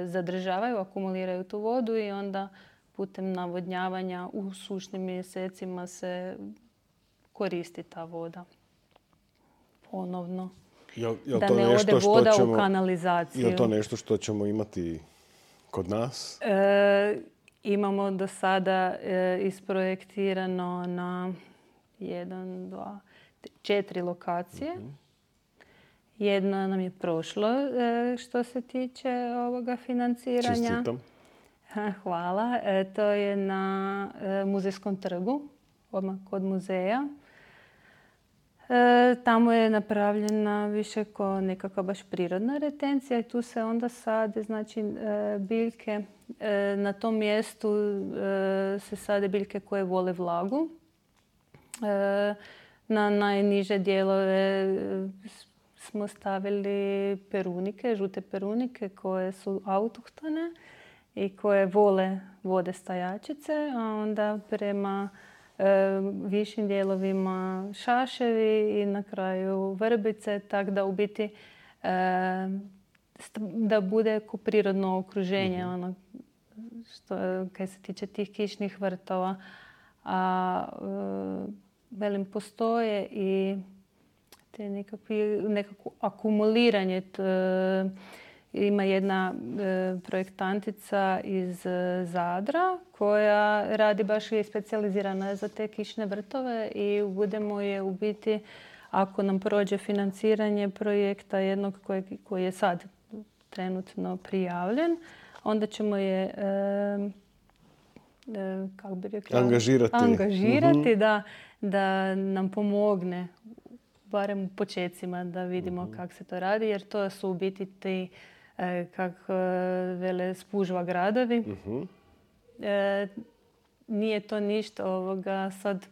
zadržavaju, akumuliraju tu vodu i onda putem navodnjavanja u sušnim mjesecima se koristi ta voda ponovno. Da ne ode voda u kanalizaciju. Je li to nešto što ćemo imati kod nas? Imamo do sada isprojektirano na 4 lokacije. Jedno nam je prošlo što se tiče ovoga financiranja. Čestitam. Hvala. To je na Muzejskom trgu, odmah kod muzeja. Tamo je napravljena više kao nekakva baš prirodna retencija i tu se onda sade znači, biljke. Na tom mjestu se sade biljke koje vole vlagu. Na najniže dijelove smo stavili perunike, žute perunike koje su autohtone i koje vole vode stajačice, a onda prema višim dijelovima šaševi i na kraju vrbice, tako da u biti da bude ko prirodno okruženje, ono što kaj se tiče tih kišnih vrtova. A velim, postoje i te nekako akumuliranje. Ima jedna projektantica iz Zadra koja radi baš i specijalizirana za te kišne vrtove i budemo je u biti, ako nam prođe financiranje projekta jednog koji je sad trenutno prijavljen, onda ćemo je kako bi rekla, angažirati da nam pomogne barem u počecima da vidimo kako se to radi, jer to su u biti ti kako vele spužva gradovi. Nije to ništa sad.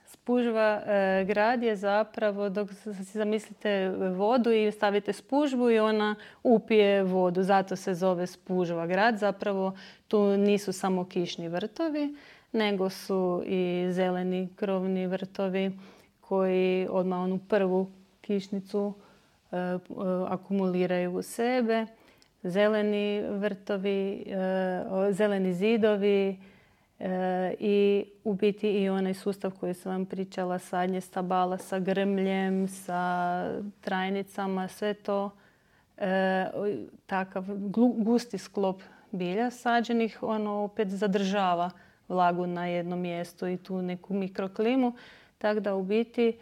Spužva grad je zapravo, dok si zamislite vodu i stavite spužvu i ona upije vodu. Zato se zove spužva grad. Zapravo tu nisu samo kišni vrtovi, nego su i zeleni krovni vrtovi koji odmah onu prvu kišnicu akumuliraju u sebe. Zeleni vrtovi, zeleni zidovi i u biti i onaj sustav koji sam vam pričala, sadnje stabala sa grmljem, sa trajnicama, sve to takav gusti sklop bilja sađenih, ono opet zadržava vlagu na jednom mjestu i tu neku mikroklimu. Tako da u biti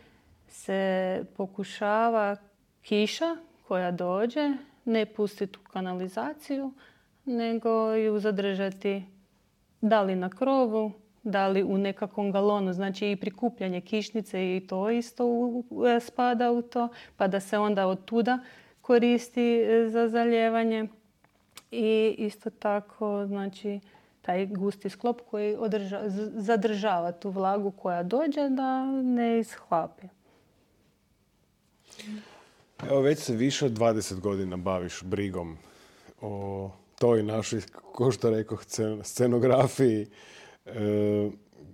se pokušava kiša koja dođe ne pustiti u kanalizaciju, nego ju zadržati da li na krovu, da li u nekakvom galonu. Znači i prikupljanje kišnice i to isto spada u to, pa da se onda od tuda koristi za zalijevanje. I isto tako, znači, taj gusti sklop koji zadržava tu vlagu koja dođe da ne ishlapi. Evo, već se više od 20 godina baviš brigom o toj našoj, ko što rekoh, scenografiji.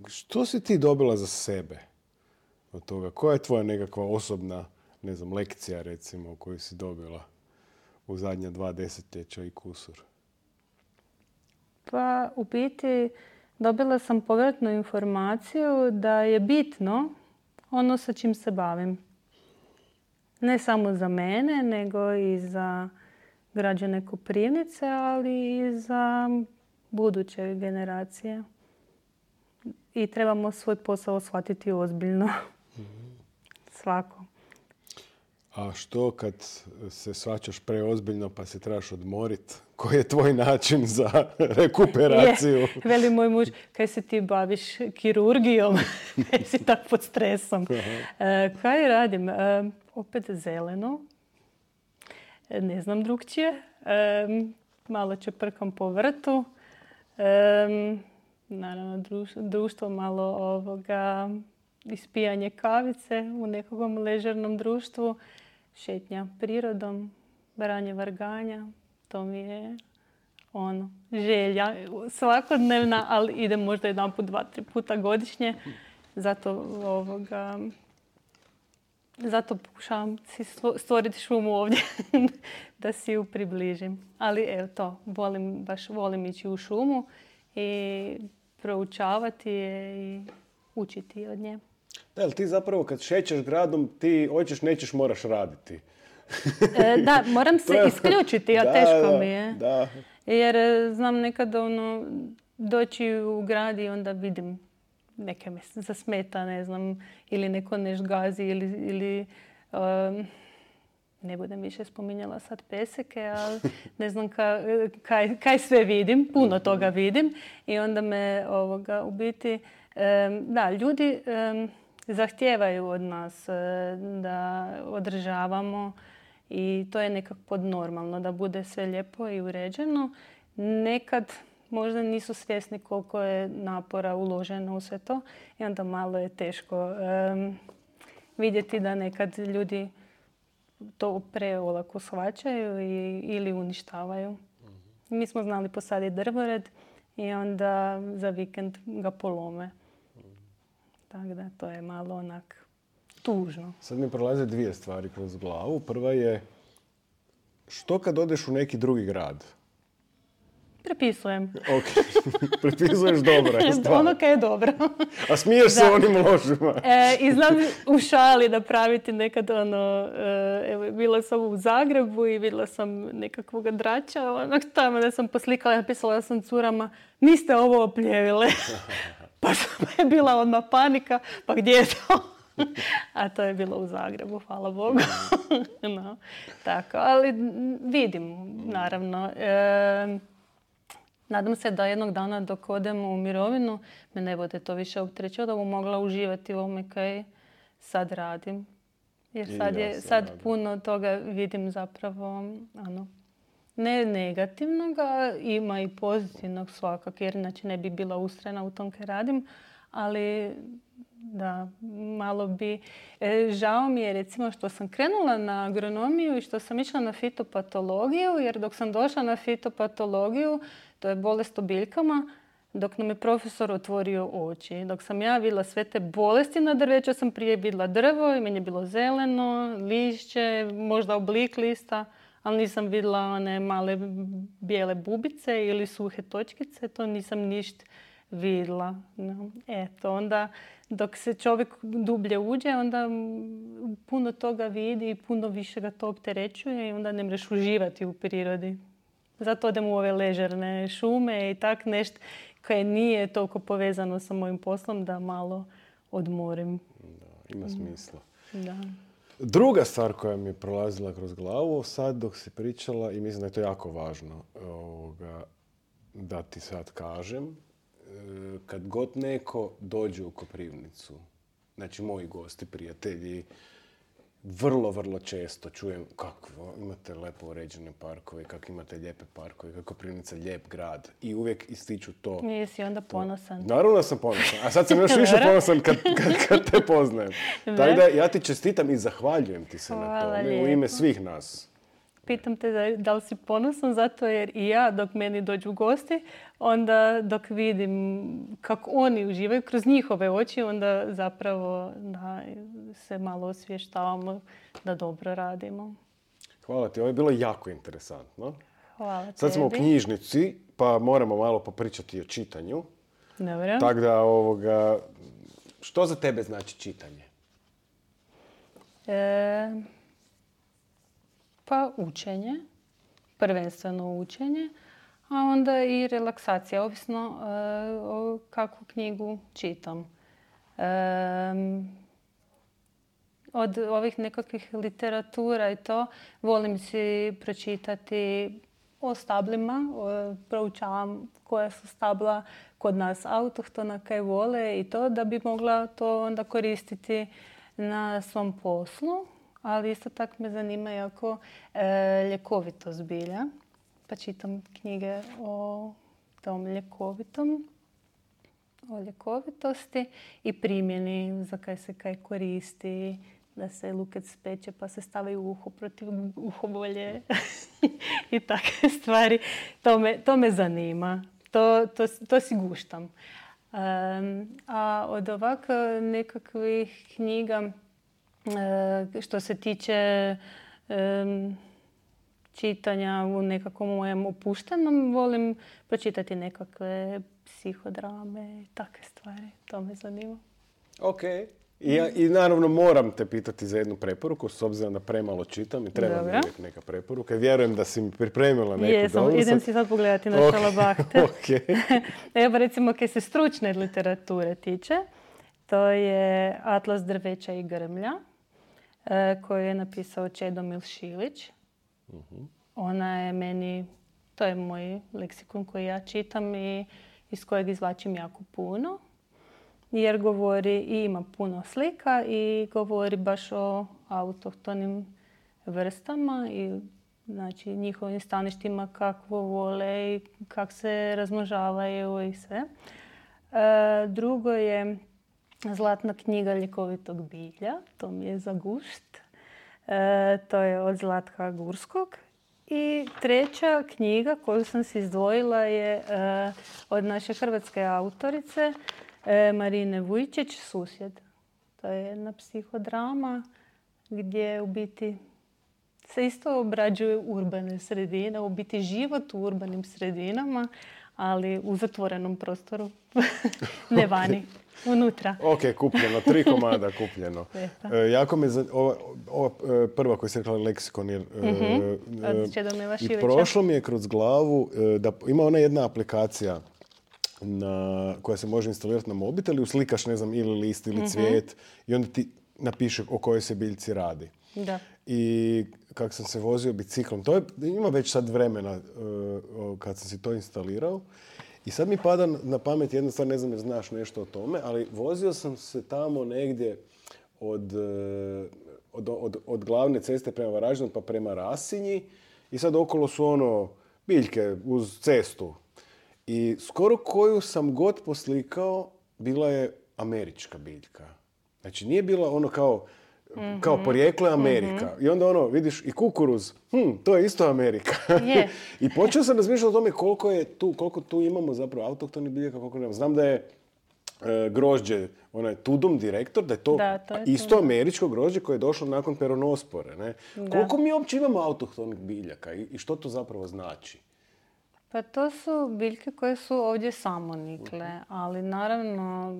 Što si ti dobila za sebe od toga? Koja je tvoja nekakva osobna, ne znam, lekcija, recimo, koju si dobila u zadnja 2 desetljeća i kusur? Pa, u biti, dobila sam povratnu informaciju da je bitno ono sa čim se bavim. Ne samo za mene, nego i za građane Koprivnice, ali i za buduće generacije. I trebamo svoj posao shvatiti ozbiljno. Svako. A što kad se shvaćaš preozbiljno pa se trebaš odmoriti? Koji je tvoj način za rekuperaciju? Veli moj muž, kaj se ti baviš kirurgijom? Kaj si tak pod stresom? Kaj radim? Opet zeleno. Ne znam drugčije. Malo čeprkam po vrtu. Naravno, društvo malo ispijanje kavice u nekakvom ležernom društvu. Šetnja prirodom, branje varganja. To mi je želja svakodnevna, ali idem možda 1, 2, 3 puta godišnje. Zato pokušavam si stvoriti šumu ovdje da si ju približim. Ali evo to, volim ići u šumu i proučavati je i učiti od nje. Da, ali ti zapravo kad šećeš gradom, ti hoćeš, nećeš, moraš raditi. Da, moram se isključiti, a teško mi je. Da. Jer znam nekad doći u grad i onda vidim neke me zasmeta, ne znam, ili neko nešto gazi ili ne budem više spominjala sad peseke, ali ne znam kaj sve vidim, puno toga vidim i onda me u biti, da, ljudi zahtijevaju od nas da održavamo i to je nekako podnormalno, da bude sve lijepo i uređeno. Nekad možda nisu svjesni koliko je napora uloženo u sve to i onda malo je teško vidjeti da nekad ljudi to preolako shvaćaju ili uništavaju. Mi smo znali posaditi drvored i onda za vikend ga polome. Tako da to je malo onak tužno. Sad mi prolaze 2 stvari kroz glavu. Prva je, što kad odeš u neki drugi grad? Prepisujem. Ok, prepisuješ dobro je stvar. Ono kaj je dobro. A smiješ se onim ložima. I znam u šali napraviti nekad evo, bila sam u Zagrebu i vidjela sam nekakvog drača, tamo da sam poslikala i napisala sam curama, niste ovo opljevile. Pa je bila odmah panika, pa gdje je to? A to je bilo u Zagrebu, hvala Bogu. No, tako, ali vidim, naravno. Nadam se da jednog dana dok odem u mirovinu me ne bude to više opterećivalo, da bom mogla uživati u ovome kaj sad radim. Jer sad puno toga vidim zapravo, ne negativnoga, ima i pozitivnog svakako, jer inače ne bi bila ustrajna u tom kaj radim, ali da, malo bi... Žao mi je recimo što sam krenula na agronomiju i što sam išla na fitopatologiju, jer dok sam došla na fitopatologiju, to je bolest o biljkama, dok nam je profesor otvorio oči. Dok sam ja vidjela sve te bolesti na drveću, sam prije vidjela drvo i meni je bilo zeleno, lišće, možda oblik lista, ali nisam vidjela one male bijele bubice ili suhe točkice, to nisam ništa vidjela. No, eto, onda dok se čovjek dublje uđe, onda puno toga vidi i puno više ga to opterećuje i onda ne možeš uživati u prirodi. Zato odem u ove ležerne šume i tak nešto koje nije toliko povezano sa mojim poslom, da malo odmorim. Da, ima smisla. Da. Druga stvar koja mi je prolazila kroz glavu sad dok si pričala, i mislim da je to jako važno da ti sad kažem, kad god neko dođe u Koprivnicu, znači moji gosti, prijatelji, vrlo, vrlo često čujem kako imate lepo uređene parkove, kako imate lijepe parkove, kako Koprivnica lijep grad. I uvijek ističu to. Nisi onda ponosan. Naravno da sam ponosan. A sad sam još više ponosan kad te poznajem. Tako da ja ti čestitam i zahvaljujem ti se na tome u ime svih nas. Pitam te da li si ponosan zato jer i ja dok meni dođu gosti, onda dok vidim kako oni uživaju kroz njihove oči, onda zapravo da se malo osvještavamo da dobro radimo. Hvala ti, ovo je bilo jako interesantno. Hvala tebi. Sad smo u knjižnici, pa moramo malo popričati o čitanju. Dobro. Tako da, što za tebe znači čitanje? Pa učenje, prvenstveno učenje, a onda i relaksacija, ovisno o kakvu knjigu čitam. Od ovih nekakvih literatura i to, volim si pročitati o stablima, proučavam koja su stabla kod nas autohtona, kaj vole i to, da bi mogla to onda koristiti na svom poslu. Ali isto tako me zanima jako ljekovitost bilja. Pa čitam knjige o tom o ljekovitosti i primjeni za kaj se kaj koristi, da se luket speče pa se stavi u uho protiv uhobolje i takve stvari. To me zanima. To si guštam. A od ovako nekakvih knjiga što se tiče čitanja u nekakvom mojem opuštenom, volim pročitati nekakve psihodrame i takve stvari. To me zanima. Ok. I naravno moram te pitati za jednu preporuku, s obzirom da premalo čitam i treba mi uvijek neka preporuka. Vjerujem da si mi pripremila neku dobru. Idem si sad pogledati na šalabahte. Evo recimo, kad se stručne literature tiče, to je Atlas drveća i grmlja, koju je napisao Čedomil Šilić. Ona je meni, to je moj leksikon koji ja čitam i iz kojeg izvlačim jako puno. Jer govori i ima puno slika i govori baš o autohtonim vrstama i znači njihovim staništima, kakvo vole i kak se razmnožavaju i sve. Drugo je Zlatna knjiga ljekovitog bilja, to mi je za gušt. To je od Zlatka Gurskog. I treća knjiga koju sam si izdvojila je od naše hrvatske autorice Marine Vujčić, Susjed. To je jedna psihodrama gdje u biti se isto obrađuju urbane sredine, u biti život u urbanim sredinama, ali u zatvorenom prostoru, ne vani. Unutra. Ok, kupljeno. 3 komada kupljeno. Jako me ova prva koju se rekla leksikon. Od Čedomila Šilića. I prošlo mi je kroz glavu da ima ona jedna aplikacija koja se može instalirati na mobitel i uslikaš, ne znam, ili list ili cvijet i onda ti napiše o kojoj se biljci radi. Da. I kako sam se vozio biciklom, ima već sad vremena kad sam si to instalirao. I sad mi pada na pamet jedna stvar, ne znam jer znaš nešto o tome, ali vozio sam se tamo negdje od glavne ceste prema Varaždinu pa prema Rasinji i sad okolo su biljke uz cestu. I skoro koju sam god poslikao bila je američka biljka. Znači nije bila kao porijeklo je Amerika. I onda vidiš i kukuruz, to je isto Amerika. Yeah. I počeo sam razmišljati o tome koliko tu imamo zapravo autohtonih biljaka, koliko nemamo. Znam da je grožđe, Tudum direktor, da je to isto američko grožđe koje je došlo nakon peronospore. Ne? Koliko mi uopće imamo autohtonih biljaka i što to zapravo znači? Pa to su biljke koje su ovdje samonikle, ali naravno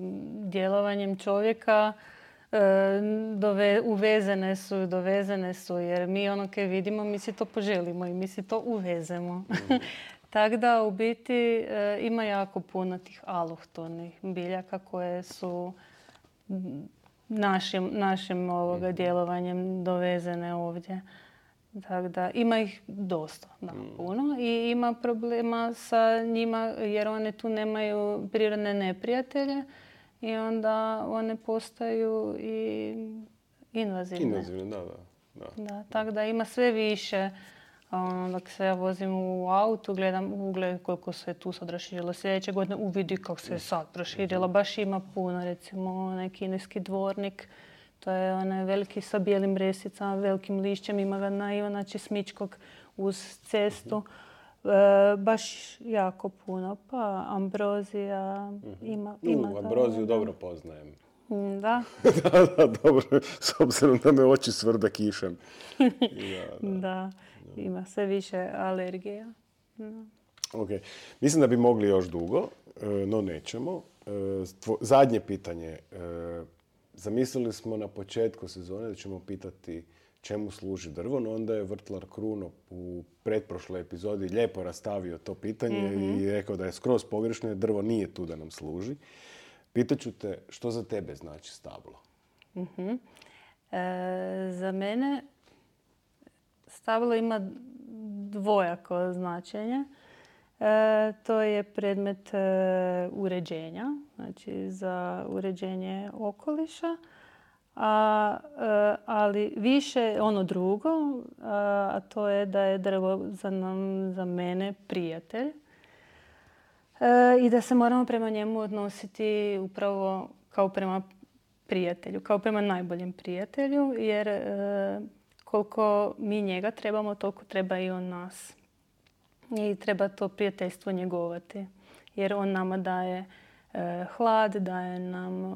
djelovanjem čovjeka dovezene su, jer mi kaj vidimo, mi si to poželimo i mi si to uvezemo. Tako da u biti ima jako puno tih alohtonih biljaka koje su našim djelovanjem dovezene ovdje. Tako da ima ih dosta, puno. I ima problema sa njima jer one tu nemaju prirodne neprijatelje i onda one postaju i invazivne. Invazivne, da. Tako da ima sve više. Dok se ja vozim u autu, gledam koliko se tu sad raširilo. Sljedeće godine uvidi kako se je sad raširila. Baš ima puno, recimo onaj kineski dvornik. To je onaj veliki sa bijelim resicama, velikim lišćem. Ima ga na Ivana Česmičkog uz cestu. Baš jako puno. Pa ambrozija ima ambroziju dobro poznajem. Da. Da, dobro. S obzirom da me oči svrda kišem. Da. Ima sve više alergija. Ok. Mislim da bi mogli još dugo, no nećemo. Zadnje pitanje. Zamislili smo na početku sezone da ćemo pitati čemu služi drvo, no onda je vrtlar Kruno u pretprošloj epizodi lijepo rastavio to pitanje i rekao da je skroz pogrešno jer drvo nije tu da nam služi. Pitaću te što za tebe znači stablo? Za mene stablo ima dvojako značenje. To je predmet uređenja, znači za uređenje okoliša, ali više ono drugo, a to je da je drvo za mene prijatelj i da se moramo prema njemu odnositi upravo kao prema prijatelju, kao prema najboljem prijatelju, jer koliko mi njega trebamo, toliko treba i on nas. I treba to prijateljstvo njegovati. Jer on nama daje hlad, daje nam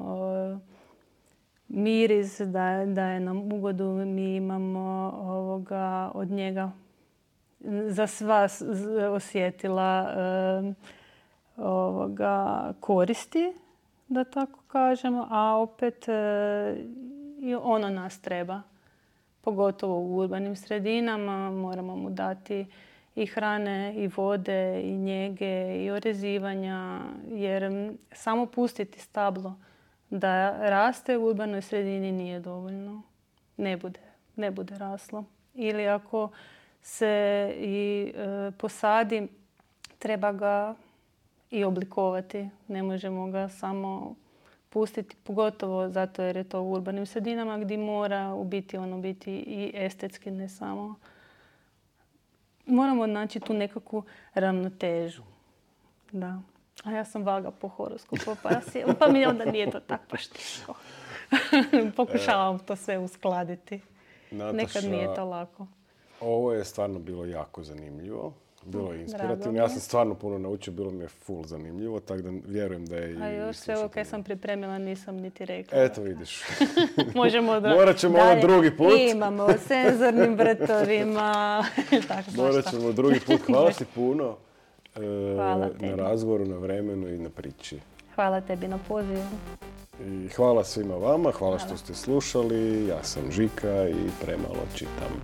miris, daje nam ugodu. Mi imamo od njega za sva osjetila koristi, da tako kažemo. A opet i ono nas treba. Pogotovo u urbanim sredinama moramo mu dati i hrane, i vode, i njege, i orezivanja, jer samo pustiti stablo da raste u urbanoj sredini nije dovoljno. Ne bude raslo. Ili ako se i posadi, treba ga i oblikovati. Ne možemo ga samo pustiti, pogotovo zato jer je to u urbanim sredinama gdje mora biti i estetski, ne samo. Moramo naći tu nekakvu ravnotežu. Da. A ja sam vaga po horoskopu, pa mi onda nije to tako baš teško. Pokušavam to sve uskladiti. Nataša, nekad nije to lako. Ovo je stvarno bilo jako zanimljivo. Bilo je inspirativno. Ja sam stvarno puno naučio, bilo mi je full zanimljivo, tako da vjerujem da je i... A još sve ovo kaj sam pripremila nisam niti rekla. Eto vidiš. Možemo da... Morat ćemo ovo drugi put. Imamo senzornim vrtovima. Morat ćemo drugi put. Hvala ti puno na razgovoru, na vremenu i na priči. Hvala tebi na pozivu. I hvala svima vama, hvala što ste slušali. Ja sam Žika i premalo čitam.